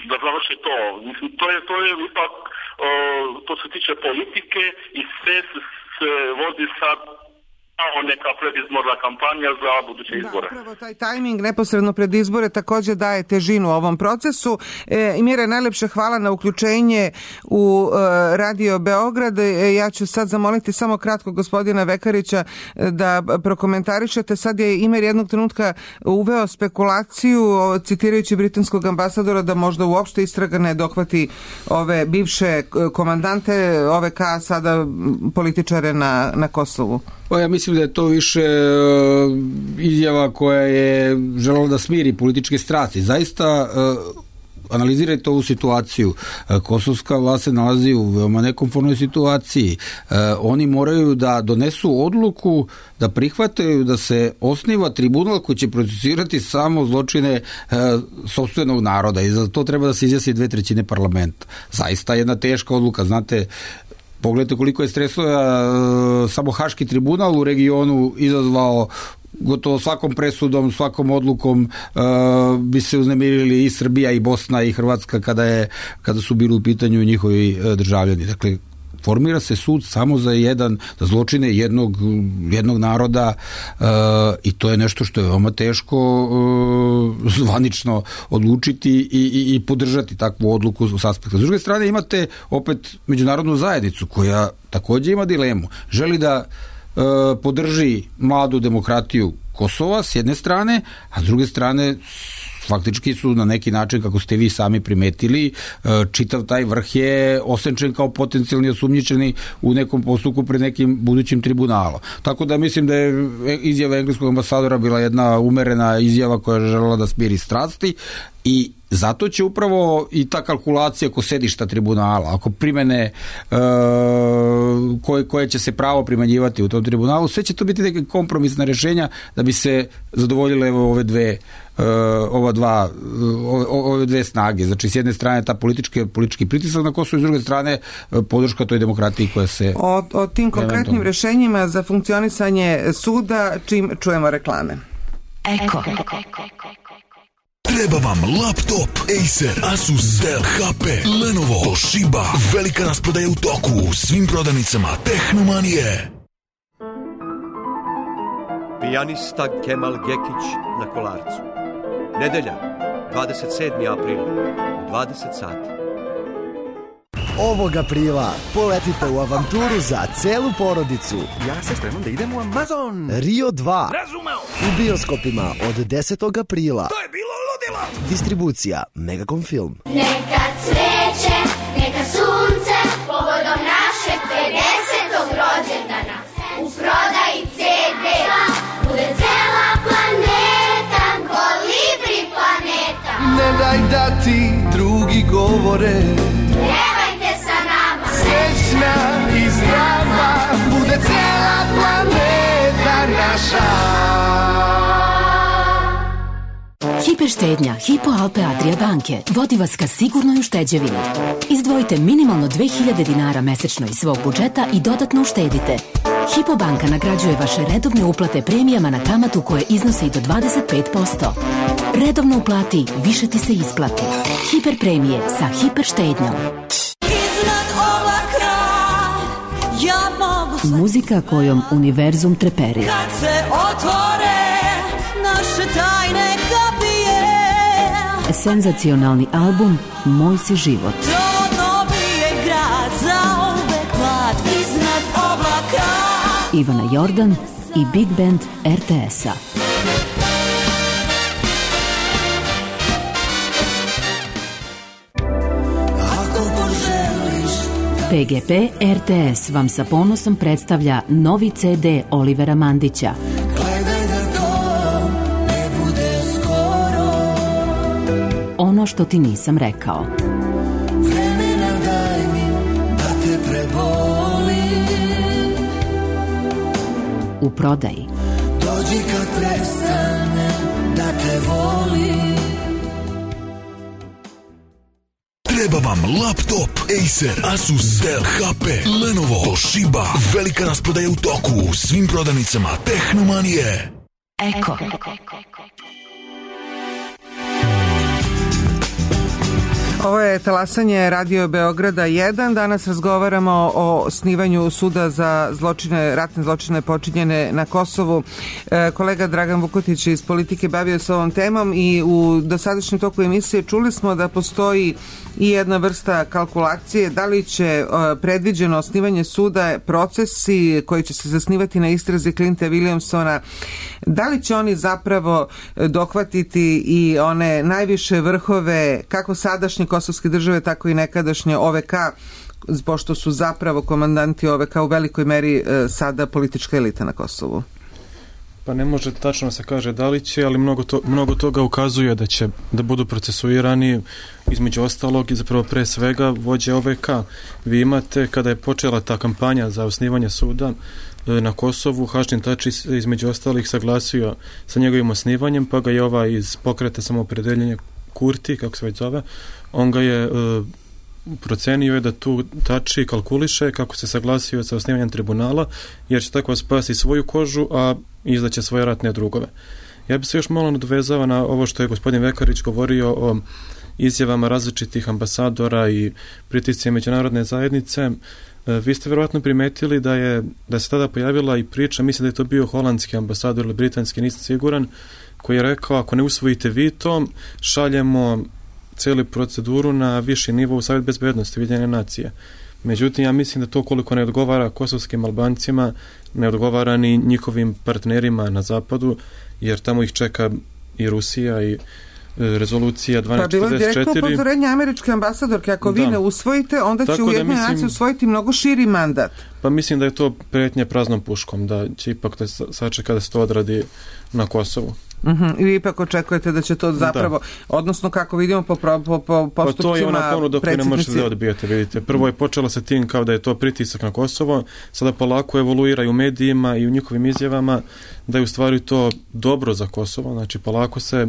da završi to. Mislim, to je to je ipak uh, to se tiče politike i sve se vodi sad kao neka predizborna kampanja za buduće izbore. Da, upravo taj tajming neposredno pred izbore također daje težinu ovom procesu. E, I Mire, najlepše hvala na uključenje u e, Radio Beograd. E, ja ću sad zamoliti samo kratko gospodina Vekarića da prokomentarišete. Sad je Imer jednog trenutka uveo spekulaciju, citirajući britanskog ambasadora, da možda uopšte istraga ne dohvati ove bivše komandante O V K, sada političare na, na Kosovu. Pa ja mislim da je to više uh, izjava koja je želela da smiri političke strasti. Zaista uh, analizirajte ovu situaciju. Uh, kosovska vlast se nalazi u veoma nekomfortnoj situaciji. Uh, oni moraju da donesu odluku da prihvataju da se osniva tribunal koji će procesirati samo zločine uh, sopstvenog naroda i za to treba da se izjasni dve trećine parlamenta. Zaista jedna teška odluka, znate. Pogledajte koliko je stresova e, samo Haški tribunal u regionu izazvao, gotovo svakom presudom, svakom odlukom e, bi se uznemirili i Srbija i Bosna i Hrvatska kada, je, kada su bili u pitanju njihovi e, državljani. Dakle, formira se sud samo za jedan, za zločine jednog, jednog naroda e, i to je nešto što je veoma teško e, zvanično odlučiti i, i, i podržati takvu odluku s aspekta. S druge strane imate opet međunarodnu zajednicu koja također ima dilemu. Želi da e, podrži mladu demokratiju Kosova s jedne strane, a s druge strane faktički su na neki način, kako ste vi sami primetili, čitav taj vrh je osenčen kao potencijalni osumnjičeni u nekom postupku pred nekim budućim tribunalom. Tako da mislim da je izjava engleskog ambasadora bila jedna umerena izjava koja je želela da smiri strasti i zato će upravo i ta kalkulacija oko sedišta tribunala, ako primene e, koje, koje će se pravo primenjivati u tom tribunalu, sve će to biti neke kompromisna rješenja da bi se zadovoljile ove dve Uh, ova dva, ove, ove dve snage. Znači, s jedne strane ta politički, politički pritisak na Kosovo i s druge strane podrška toj demokratiji koja se... O, o tim konkretnim rješenjima za funkcionisanje suda, čim čujemo reklame. Eko. Treba vam laptop, Acer, Asus, Dell, H P, Lenovo, Toshiba. Velika rasprodaja u toku u svim prodavnicama Tehnomanije. Pijanista Kemal Gekić na Kolarcu. Nedelja, dvadeset sedmi april, dvadeset sati. Ovog aprila poletite u avanturu za celu porodicu. Ja se spremam da idem u Amazon. Rio dva. Razumeo. U bioskopima od desetog aprila. To je bilo ludilo. Distribucija Megacom Film. Neka cveće, neka sunce, povodom našeg pedesetog rođendana. U prodaji C D bude cela planeta, Kolibri planeta. Ne daj da ti drugi govore, Pjevajte sa nama. Srećna i zdrava bude cela planeta naša. Hiperštednja Hypo Alpe Adria banke vodi vas ka sigurnoj ušteđevini. Izdvojite minimalno dve hiljade dinara mesečno iz svog budžeta i dodatno uštedite. Hypo banka nagrađuje vaše redovne uplate premijama na kamatu koje iznose i do dvadeset pet posto. Redovno uplati, više ti se isplati. Hiper premije sa hiper štednjom. Iznad oblaka Muzika kojom univerzum treperi. Kad se otvore naše tajne kapije, Senzacionalni album Moj si život. to novi je grad, zauvek mlad iznad oblaka. Ivana Jordan i Big Band er te es-a. pe ge pe er te es vam sa ponosom predstavlja novi ce de Olivera Mandića. Gledaj da to ne bude skoro, Ono što ti nisam rekao. vremena daj mi da te prebolim. U prodaji. Dođi kad prestane da te volim. Treba vam laptop, Acer, Asus, Dell, ha pe, Lenovo, Toshiba. Velika rasprodaja u toku u svim prodavnicama Tehnomanije. Eko. Ovo je talasanje Radio Beograda jedan. Danas razgovaramo o osnivanju suda za zločine, ratne zločine počinjene na Kosovu. E, kolega Dragan Vukotić iz Politike bavio se ovom temom i u dosadašnjem toku emisije čuli smo da postoji i jedna vrsta kalkulacije da li će e, predviđeno osnivanje suda procesi koji će se zasnivati na istrazi Clinta Williamsona, da li će oni zapravo dohvatiti i one najviše vrhove kako sadašnje kosovske države, tako i nekadašnje o ve ka, pošto su zapravo komandanti o ve ka u velikoj meri e, sada politička elita na Kosovu? Pa ne može tačno se kaže da li će, ali mnogo, to, mnogo toga ukazuje da će da budu procesuirani, između ostalog i zapravo pre svega vođe o ve ka. Vi imate, kada je počela ta kampanja za osnivanje suda e, na Kosovu, Hašim Tači između ostalih saglasio sa njegovim osnivanjem, pa ga je ovaj iz pokreta samoopredeljenja Kurti, kako se već zove, on ga je e, procenio je da tu Tači kalkuliše kako se saglasio sa osnivanjem tribunala, jer će tako spasi svoju kožu, a izdaće svoje ratne drugove. Ja bi se još malo nadovezao na ovo što je gospodin Vekarić govorio o izjavama različitih ambasadora i pritisci međunarodne zajednice. E, vi ste verovatno primetili da je da se tada pojavila i priča, mislim da je to bio holandski ambasador ili britanski, nisam siguran, koji je rekao, ako ne usvojite vi to, šaljemo cijelu proceduru na viši nivo u Savjet bezbednosti Ujedinjene nacije. Međutim, ja mislim da to koliko ne odgovara kosovskim Albancima, ne odgovara ni njihovim partnerima na zapadu, jer tamo ih čeka i Rusija i rezolucija dvanaest četrdeset četiri. Pa bilo je direktno upozorenje američke ambasadorke, ako da. vi ne usvojite, onda će Ujedinjene nacije usvojiti mnogo širi mandat. Pa mislim da je to pretnje praznom puškom, da će ipak da sačeka da se to odradi na Kosovu. Uh-huh. I vi ipak očekujete da će to zapravo, da. odnosno kako vidimo po, po, po postupcima predsjednici. Pa to je ona ponuda koju ne možete da odbijete, vidite. Prvo je počela sa tim kao da je to pritisak na Kosovo, sada polako evoluira i u medijima i u njihovim izjavama da je u stvari to dobro za Kosovo, znači polako se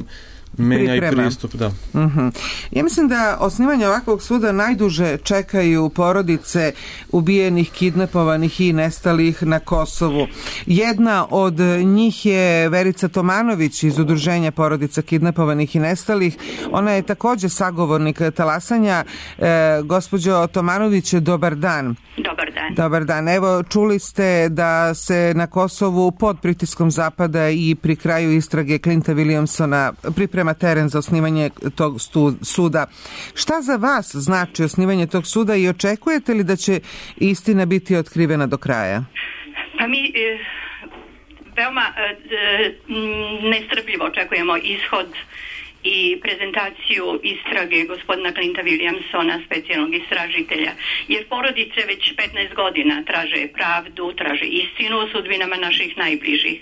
menja i pristup, da. Uh-huh. Ja mislim da osnivanje ovakvog suda najduže čekaju porodice ubijenih, kidnapovanih i nestalih na Kosovu. Jedna od njih je Verica Tomanović iz Udruženja porodica kidnapovanih i nestalih. Ona je također sagovornik talasanja. E, gospođo Tomanović, dobar dan. Dobar dan. Dobar dan. Evo, čuli ste da se na Kosovu pod pritiskom Zapada i pri kraju istrage Clinta Williamsona priprema teren za osnivanje tog stu, suda. Šta za vas znači osnivanje tog suda i očekujete li da će istina biti otkrivena do kraja? Pa mi e, veoma e, nestrpljivo očekujemo ishod i prezentaciju istrage gospodina Clinta Williamsona, specijalnog istražitelja, jer porodice već petnaest godina traže pravdu, traže istinu o sudbinama naših najbližih.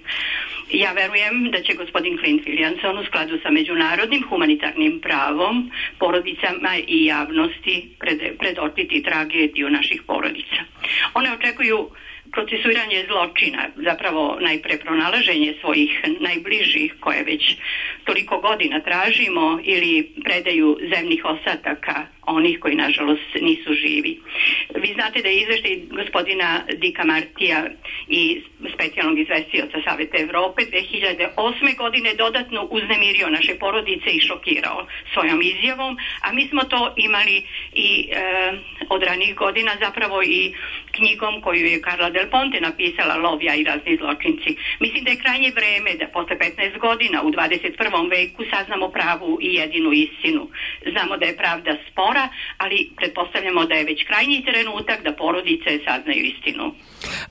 Ja verujem da će gospodin Clint Williamson u skladu sa međunarodnim humanitarnim pravom porodicama i javnosti pred, predočiti tragediju naših porodica. One očekuju procesuiranje zločina, zapravo najpre pronalaženje svojih najbližih koje već toliko godina tražimo ili predaju zemnih osataka onih koji nažalost nisu živi. Vi znate da je izveštaj gospodina Dika Martija i specijalnog izvestioca Saveta Evrope dve hiljade osme godine dodatno uznemirio naše porodice i šokirao svojom izjavom, a mi smo to imali i e, od ranih godina zapravo i knjigom koju je Carla Del Ponte napisala, Lovija i razni zločinci. Mislim da je krajnje vreme da posle petnaest godina u dvadeset prvom veku saznamo pravu i jedinu istinu. Znamo da je pravda spora, ali pretpostavljamo da je već krajnji trenutak da porodice saznaju istinu.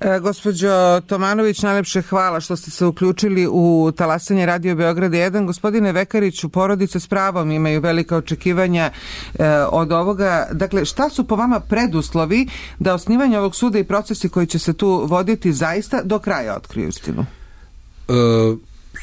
E, gospođo Tomanović, najlepše hvala što ste se uključili u talasanje Radio Beograd jedan. Gospodine Vekariću, porodice s pravom imaju velika očekivanja e, od ovoga. Dakle, šta su po vama preduslovi da osnivanje ovog suda i procesi koji će se tu voditi zaista do kraja otkriju istinu? E,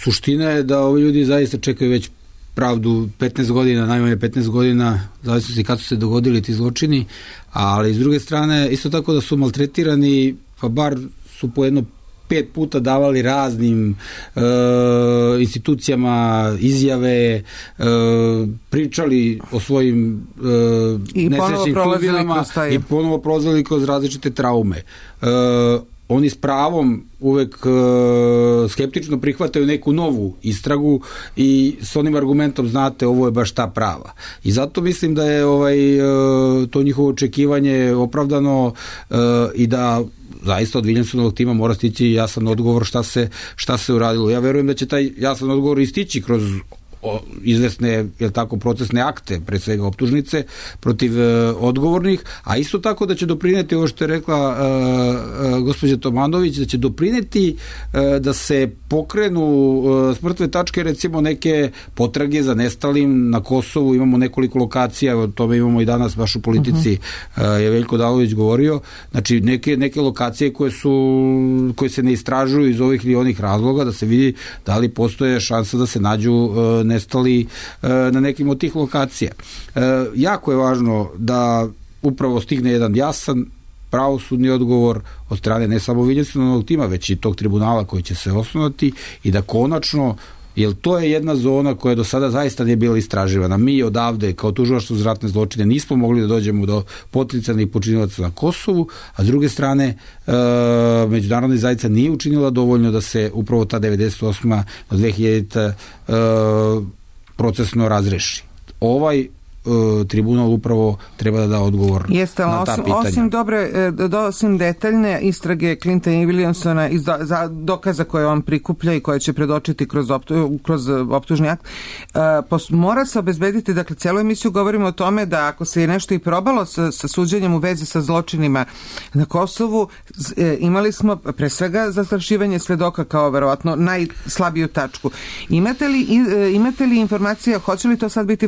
suština je da ovi ljudi zaista čekaju već pravdu petnaest godina, najmanje petnaest godina, zavisno se kad su se dogodili ti zločini, ali s druge strane isto tako da su maltretirani, pa bar su po jedno pet puta davali raznim e, institucijama izjave, e, pričali o svojim e, nesrećnim sudbinama i ponovo prolazili kroz različite traume. E, oni s pravom uvek e, skeptično prihvataju neku novu istragu i s onim argumentom, znate, ovo je baš ta prava. I zato mislim da je ovaj, e, to njihovo očekivanje opravdano e, i da zaista od Williamsonovog tima mora stići jasan odgovor šta se, šta se uradilo. Ja verujem da će taj jasan odgovor istići kroz o, izvesne, jel tako, procesne akte, pre svega optužnice protiv e, odgovornih, a isto tako da će doprineti ovo što je rekla e, e, gospođa Tomanović, da će doprineti e, da se pokrenu e, s mrtve tačke, recimo neke potrage za nestalim na Kosovu. Imamo nekoliko lokacija, o tome imamo i danas baš u Politici, uh-huh. e, je Veljko Dalović govorio, znači neke, neke lokacije koje su koje se ne istražuju iz ovih ili onih razloga, da se vidi da li postoje šansa da se nađu e, nestali na nekim od tih lokacija. Jako je važno da upravo stigne jedan jasan pravosudni odgovor od strane ne samo Williamsonovog tima, već i tog tribunala koji će se osnovati i da konačno, jer to je jedna zona koja do sada zaista nije bila istraživana. Mi odavde, kao tužilaštvo za ratne zločine, nismo mogli da dođemo do potencijalnih počinilaca na Kosovu, a s druge strane e, međunarodna zajednica nije učinila dovoljno da se upravo ta devedeset osma do dve hiljadite e, procesno razreši. Ovaj tribunal upravo treba da da odgovor Jeste, na ta osim, pitanja. Osim dobre, osim detaljne istrage Clintona i Williamsona iz do, za dokaza koje on prikuplja i koje će predočiti kroz, optu, kroz optužni akt, pos, mora se obezbediti, dakle, cijelu emisiju govorimo o tome da ako se je nešto i probalo sa, sa suđenjem u vezi sa zločinima na Kosovu, imali smo pre svega zastrašivanje svedoka kao verovatno najslabiju tačku. Imate li, imate li informacija, hoće li to sad biti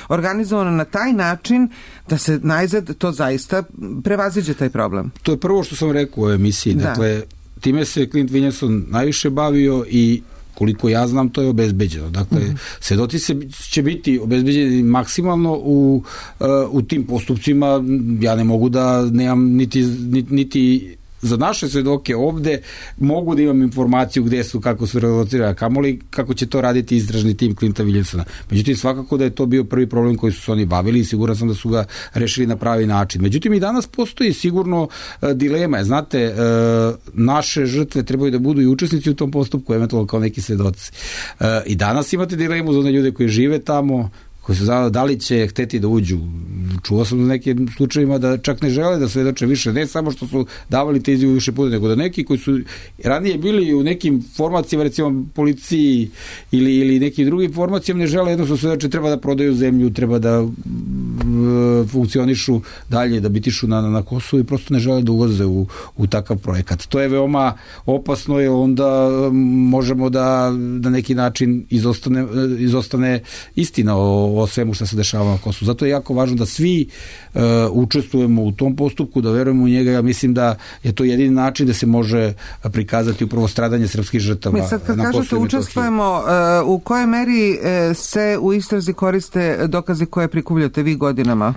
organizovano na taj način da se najzad to zaista prevaziđe taj problem? To je prvo što sam rekao u emisiji. Da. Dakle, time se Clint Williamson najviše bavio i koliko ja znam, to je obezbeđeno. Dakle, mm-hmm. svedoci se će biti obezbeđeni maksimalno u, uh, u tim postupcima. Ja ne mogu da nemam niti, niti, niti za naše svedoke ovde mogu da imam informaciju gde su, kako su relocirali, kamoli kako će to raditi istražni tim Clinta Williamsona. Međutim, svakako da je to bio prvi problem koji su se oni bavili i siguran sam da su ga rešili na pravi način. Međutim, i danas postoji sigurno uh, dilema. Znate, uh, naše žrtve trebaju da budu i učesnici u tom postupku, eventualno kao neki svedoci. Uh, I danas imate dilemu za one ljude koji žive tamo, koji su znali da li će hteti da uđu. Čuo sam u nekim slučajima da čak ne žele da svedoče više, ne samo što su davali te izjave više puta, nego da neki koji su ranije bili u nekim formacijama, recimo policiji ili, ili nekim drugim formacijama, ne žele jednostavno svedoče, treba da prodaju zemlju, treba da uh, funkcionišu dalje, da bitišu na, na Kosovu i prosto ne žele da ulaze u, u takav projekat. To je veoma opasno, jer onda možemo da na neki način izostane, izostane istina o o svemu što se dešava na Kosovu. Zato je jako važno da svi uh, učestvujemo u tom postupku, da verujemo u njega. Ja mislim da je to jedini način da se može prikazati upravo stradanje srpskih žrtava na Kosovu. Mi sad kad kažete učestvujemo, uh, u kojoj meri uh, se u istrazi koriste dokazi koje prikupljate vi godinama?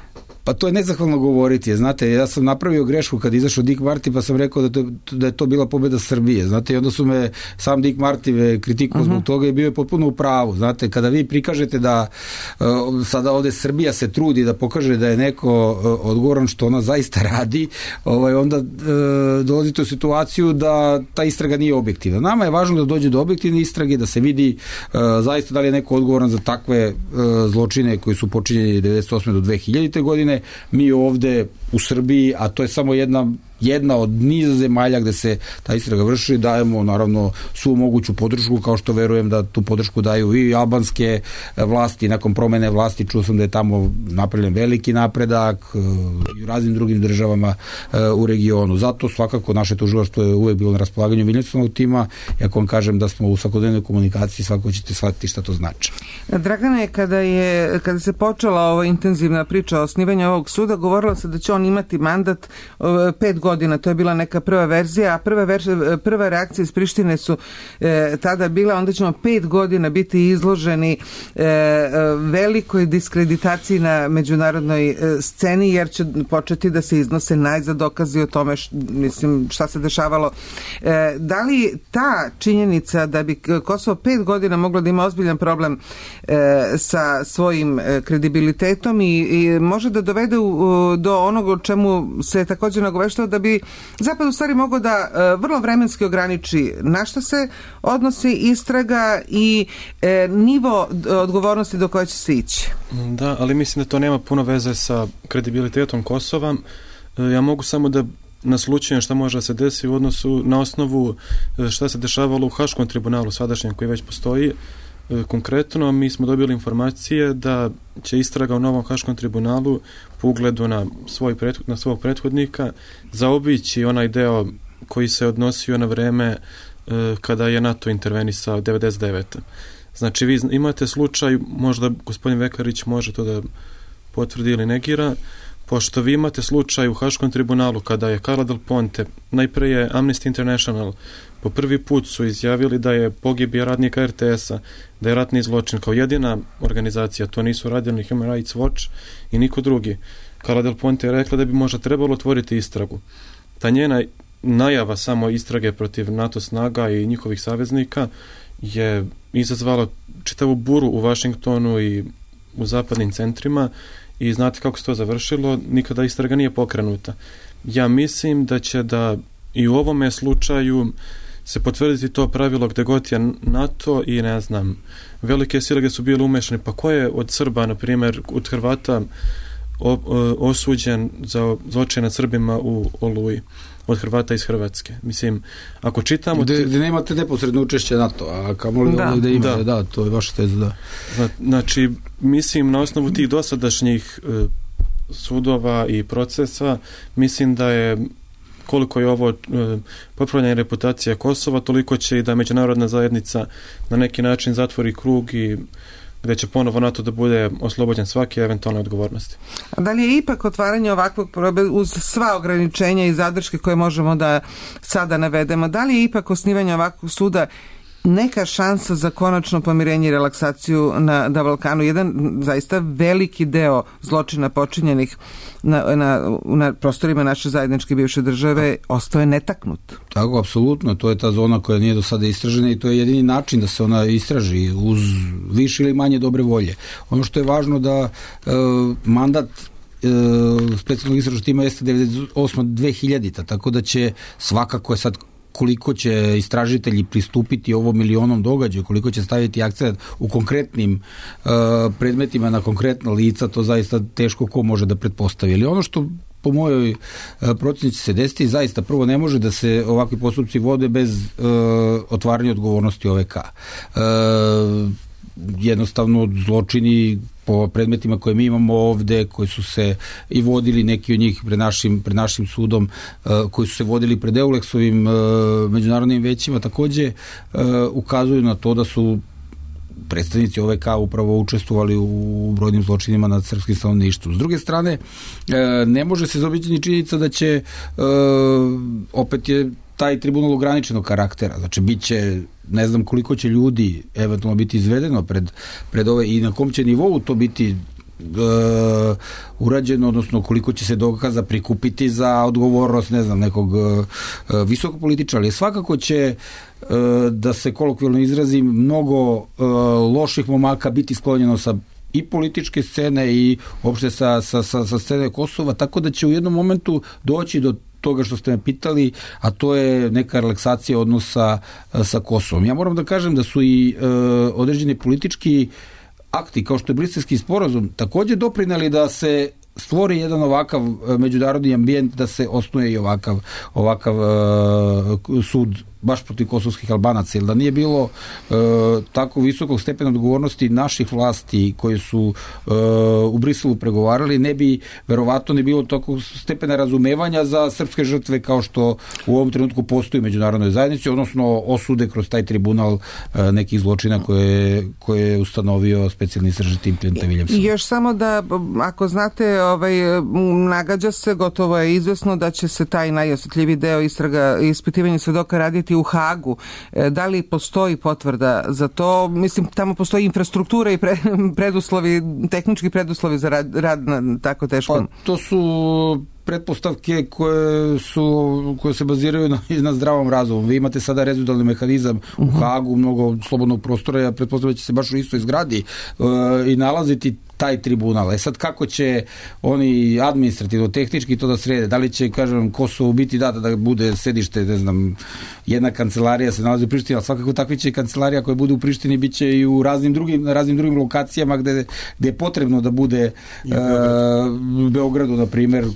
Pa to je nezahvalno govoriti. Znate, ja sam napravio grešku kad izašao Dick Marty, pa sam rekao da, to, da je to bila pobjeda Srbije. Znate, i onda su me sam Dick Marty kritikuo zbog uh-huh. toga i bio je potpuno u pravu. Znate, kada vi prikažete da uh, sada ovde Srbija se trudi da pokaže da je neko uh, odgovoran što ona zaista radi, ovaj, onda uh, dolazite u situaciju da ta istraga nije objektivna. Nama je važno da dođe do objektivne istrage, da se vidi uh, zaista da li je neko odgovoran za takve uh, zločine koji su počinjeni devedeset osme do dve hiljadite godine. Mi ovde u Srbiji, a to je samo jedna jedna od niza zemalja gde se ta istraga vrši, dajemo naravno svu moguću podršku, kao što verujem da tu podršku daju i albanske vlasti. Nakon promene vlasti čuo sam da je tamo napravljen veliki napredak i u raznim drugim državama u regionu. Zato svakako naše tužilaštvo je uvek bilo na raspolaganju Viljamsovog tima. Ako vam kažem da smo u svakodnevnoj komunikaciji, svako ćete shvatiti šta to znači. Dragane, kada je kada se počela ova intenzivna priča o osnivanju ovog suda, govorilo se da će on imati mandat pet godina. To je bila neka prva verzija, a prva, verzija, prva reakcija iz Prištine su e, tada bila, onda ćemo pet godina biti izloženi e, velikoj diskreditaciji na međunarodnoj e, sceni, jer će početi da se iznose najzad dokazi o tome š, mislim, šta se dešavalo. E, da li ta činjenica da bi Kosovo pet godina moglo da ima ozbiljan problem e, sa svojim e, kredibilitetom i, i može da dovede u, do onog o čemu se također nagoveštao, da bi Zapad u stvari mogao da e, vrlo vremenski ograniči na šta se odnosi istraga i e, nivo odgovornosti do koje će se ići. Da, ali mislim da to nema puno veze sa kredibilitetom Kosova. E, ja mogu samo da naslučujem šta može da se desi u odnosu na osnovu šta se dešavalo u Haškom tribunalu sadašnjem koji već postoji. E, konkretno mi smo dobili informacije da će istraga u novom Haškom tribunalu po ugledu na, svoj prethod, na svog prethodnika zaobići onaj deo koji se odnosio na vreme e, kada je NATO intervenisao devedeset devete. Znači vi imate slučaj, možda gospodin Vekarić može to da potvrdi ili negira, pošto vi imate slučaj u Haškom tribunalu kada je Carla Del Ponte, najpre je Amnesty International po prvi put su izjavili da je pogibija radnika er te esa, da je ratni zločin kao jedina organizacija, to nisu radili Human Rights Watch i niko drugi. Carla Del Ponte je rekla da bi možda trebalo otvoriti istragu. Ta njena najava samo istrage protiv NATO snaga i njihovih saveznika je izazvala čitavu buru u Vašingtonu i u zapadnim centrima i znate kako se to završilo, nikada istraga nije pokrenuta. Ja mislim da će da i u ovome slučaju se potvrditi to pravilo gde god je NATO i ne znam, velike sile gde su bile umešane, pa ko je od Srba, na primjer, od Hrvata o, o, osuđen za zločine nad Srbima u Oluji, od Hrvata iz Hrvatske. Mislim, ako čitamo... Gde, gde nemate neposredno učešće NATO, a kamoli da, da ima, da. da, to je vaša teza, da. Znači, mislim, na osnovu tih dosadašnjih e, sudova i procesa, mislim da je koliko je ovo e, popravljanje reputacije Kosova, toliko će i da međunarodna zajednica na neki način zatvori krug i gde će ponovo NATO da bude oslobođen svake eventualne odgovornosti. A da li je ipak otvaranje ovakvog probe uz sva ograničenja i zadrške koje možemo da sada navedemo, da li je ipak osnivanje ovakvog suda neka šansa za konačno pomirenje i relaksaciju na, na Balkanu? Jedan zaista veliki deo zločina počinjenih na, na, na prostorima naše zajedničke bivše države ostao je netaknut. Tako, apsolutno. To je ta zona koja nije do sada istražena i to je jedini način da se ona istraži uz više ili manje dobre volje. Ono što je važno da e, mandat e, specijalnog istražnog tima jeste devedeset osme do dve hiljadite. Tako da će svakako je sad koliko će istražitelji pristupiti ovom milionom događaju, koliko će staviti akcent u konkretnim uh, predmetima na konkretna lica, to zaista teško ko može da pretpostavi. Ali ono što po mojoj uh, proceni će se desiti, zaista prvo ne može da se ovakvi postupci vode bez uh, otvaranja odgovornosti O V K. Uh, jednostavno zločini po predmetima koje mi imamo ovde, koji su se i vodili neki od njih pred našim, pred našim sudom, uh, koji su se vodili pred Euleksovim uh, međunarodnim većima, takođe uh, ukazuju na to da su predstavnici O V K upravo učestvovali u brojnim zločinima nad srpskim stanovništvom. S druge strane, uh, ne može se zaobići ni činjenica da će uh, opet je taj tribunal ograničenog karaktera, znači bit će ne znam koliko će ljudi eventualno biti izvedeno pred, pred ove i na kom će nivou to biti uh, urađeno, odnosno koliko će se dokaza prikupiti za odgovornost, ne znam, nekog uh, visokog političara, ali svakako će uh, da se kolokvijalno izrazim, mnogo uh, loših momaka biti sklonjeno sa i političke scene i uopšte sa, sa, sa, sa scene Kosova, tako da će u jednom momentu doći do toga što ste me pitali, a to je neka relaksacija odnosa sa Kosovom. Ja moram da kažem da su i uh, određeni politički akti, kao što je Briselski sporazum, takođe doprineli da se stvori jedan ovakav međunarodni ambijent, da se osnuje i ovakav, ovakav uh, sud baš protiv kosovskih Albanaca, jer da nije bilo uh, tako visokog stepena odgovornosti naših vlasti koji su uh, u Briselu pregovarali, ne bi verovatno ne bilo toliko stepena razumevanja za srpske žrtve kao što u ovom trenutku postoji u međunarodnoj zajednici, odnosno osude kroz taj tribunal uh, nekih zločina koje, koje je ustanovio specijalni istražitelj tim Clint Williamson. I još samo da, ako znate, ovaj, nagađa se, gotovo je izvesno da će se taj najosjetljiviji deo istraga, ispitivanja svedoka raditi u Hagu. Da li postoji potvrda za to? Mislim, tamo postoji infrastruktura i pre, preduslovi, tehnički preduslovi za rad, rad na tako teškom. Pa, to su pretpostavke koje su koje se baziraju na, na zdravom razumu. Vi imate sada rezultatni mehanizam u Hagu, mnogo slobodnog prostora, ja pretpostavljam da će se baš u istoj zgradi uh, i nalaziti taj tribunal. E sad kako će oni administrativno, tehnički to da srede? Da li će, kažem, Kosovo biti data da bude sedište, ne znam, jedna kancelarija se nalazi u Prištini, ali svakako takva će kancelarija koja bude u Prištini biće i u raznim drugim, na raznim drugim lokacijama gde, gde je potrebno da bude u uh, Beogradu, na primjer,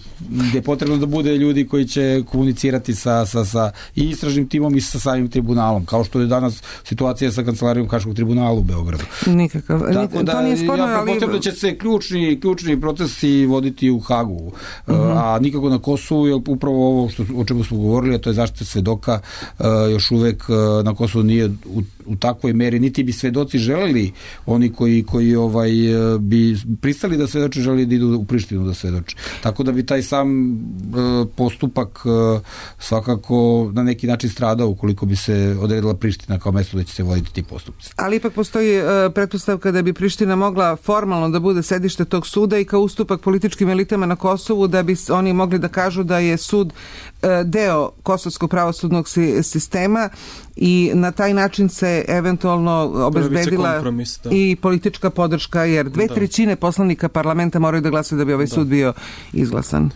gde je potrebno da bude ljudi koji će komunicirati sa, sa, sa i istražnim timom i sa samim tribunalom, kao što je danas situacija sa kancelarijom Haškog tribunala u Beogradu. Nikakav. Tako da, to nije sporno, ja pretpostavljam da će se ključni, ključni procesi voditi u Hagu, uh-huh. a nikako na Kosovu, jer upravo ovo što, o čemu smo govorili, a to je zaštita svedoka, uh, još uvek uh, na Kosovu nije u, u takvoj meri, niti bi svedoci želeli, oni koji, koji ovaj, bi pristali da svedoče, želeli da idu u Prištinu da svedoče. Tako da bi taj sam uh, postupak uh, svakako na neki način stradao ukoliko bi se odredila Priština kao mesto da će se voditi ti postupci. Ali ipak postoji uh, pretpostavka da bi Priština mogla formalno da bude sedište tog suda i kao ustupak političkim elitama na Kosovu, da bi oni mogli da kažu da je sud uh, deo kosovskog pravosudnog si, sistema i na taj način se eventualno obezbedila i politička podrška, jer dve da. trećine poslanika parlamenta moraju da glasaju da bi ovaj da. sud bio izglasan.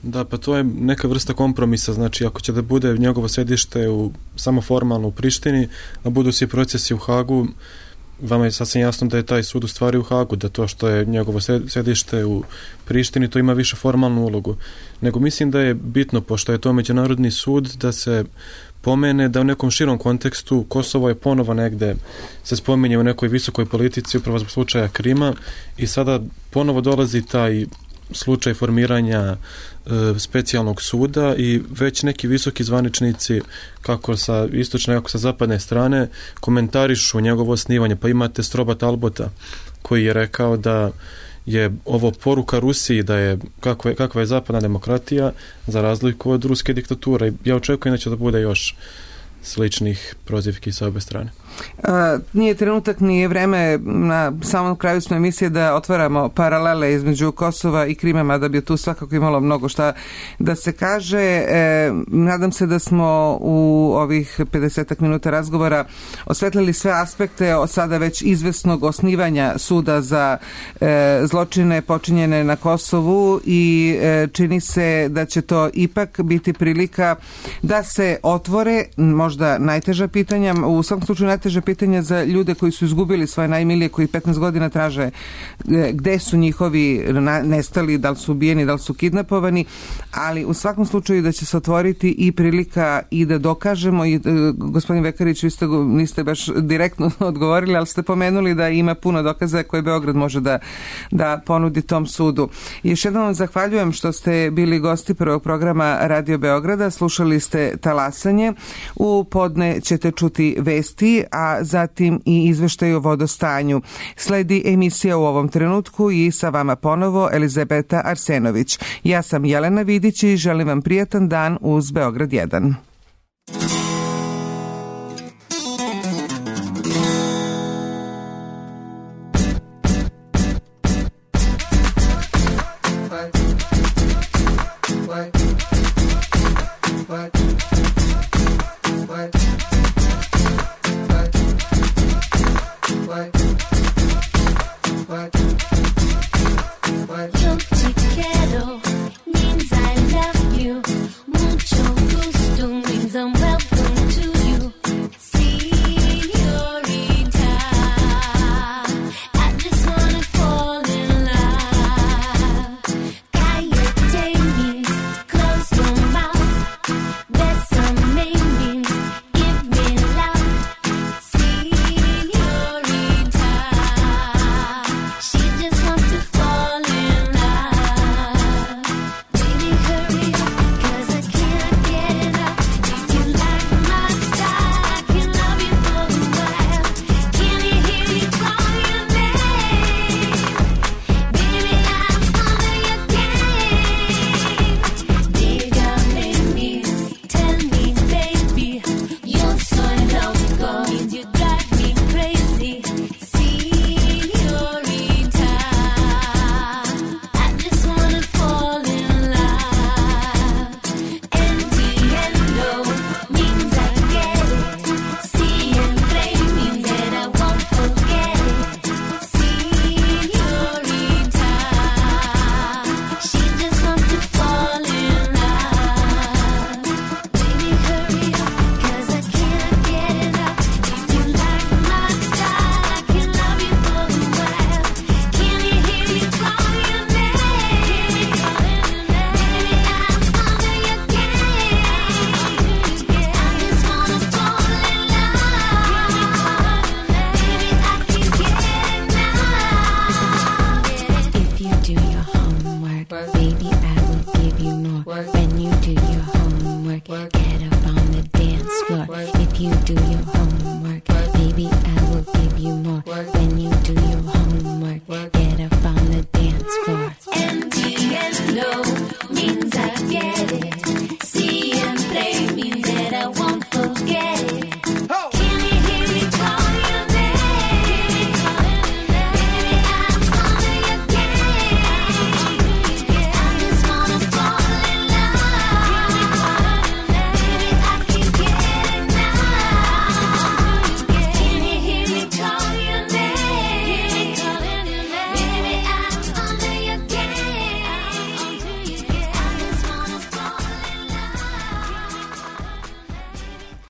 Da, pa to je neka vrsta kompromisa, znači ako će da bude njegovo sedište u, samo formalno u Prištini, a budu svi procesi u Hagu, vama je sasvim jasno da je taj sud u stvari u Hagu, da to što je njegovo sedište u Prištini, to ima više formalnu ulogu. Nego mislim da je bitno, pošto je to međunarodni sud, da se pomene da u nekom širom kontekstu Kosovo je ponovo negde se spominje u nekoj visokoj politici upravo zbog slučaja Krima i sada ponovo dolazi taj slučaj formiranja e, specijalnog suda i već neki visoki zvaničnici kako sa istočne, kako sa zapadne strane komentarišu njegovo osnivanje. Pa imate Stroba Talbota koji je rekao da je ovo poruka Rusiji da je kakva je, kakva je zapadna demokratija za razliku od ruske diktature. Ja očekujem da će da bude još sličnih prozivki sa obe strane. A, nije trenutak, nije vreme, na samom kraju smo emisije da otvaramo paralele između Kosova i Krima, mada bi tu svakako imalo mnogo šta da se kaže. E, nadam se da smo u ovih pedesetak minuta razgovora osvetlili sve aspekte od sada već izvesnog osnivanja suda za e, zločine počinjene na Kosovu i e, čini se da će to ipak biti prilika da se otvore možda najteža pitanja, u svakom slučaju najteža pitanja za ljude koji su izgubili svoje najmilije, koji petnaest godina traže gde su njihovi nestali, da li su ubijeni, da li su kidnapovani, ali u svakom slučaju da će se otvoriti i prilika i da dokažemo i gospodin Vekarić, vi ste, niste baš direktno odgovorili, ali ste pomenuli da ima puno dokaza koje Beograd može da, da ponudi tom sudu. Još jednom vam zahvaljujem što ste bili gosti prvog programa Radio Beograda, slušali ste Talasanje, u podne ćete čuti vesti, a zatim i izveštaj o vodostanju. Sledi emisija u ovom trenutku i sa vama ponovo Elizabeta Arsenović. Ja sam Jelena Vidić i želim vam prijatan dan uz Beograd jedan. Yo te quiero means I love you. Mucho gusto means I'm welcome to you. Señorita, I just wanna fall in love. Cállate means close your mouth. Bésame means give me love. Señorita, she just wants to fall in love. Baby, hurry up, 'cause I can't get enough. If you like my style, I can love you for a while. Can you hear you call your name? Baby, I'm under your game. Dígame means tell me, baby. Yo soy loco means you drive me crazy. Señorita, I just wanna fall in love. Entiendo means I get it. Siempre means that I won't forget it. Señorita, she just wants to fall in love. Baby, hurry up, 'cause I can't get enough. If you like my style, I can love you for a while. Can you hear you call your name? Baby, I'm under your game. I just wanna fall in love. Baby, I can get enough. If you do your homework, baby, I will give you more. When you do your homework, get up on the dance floor. If you do your homework, baby, I will give you more. When you do your homework, get up on the dance floor. Entiendo means I get it.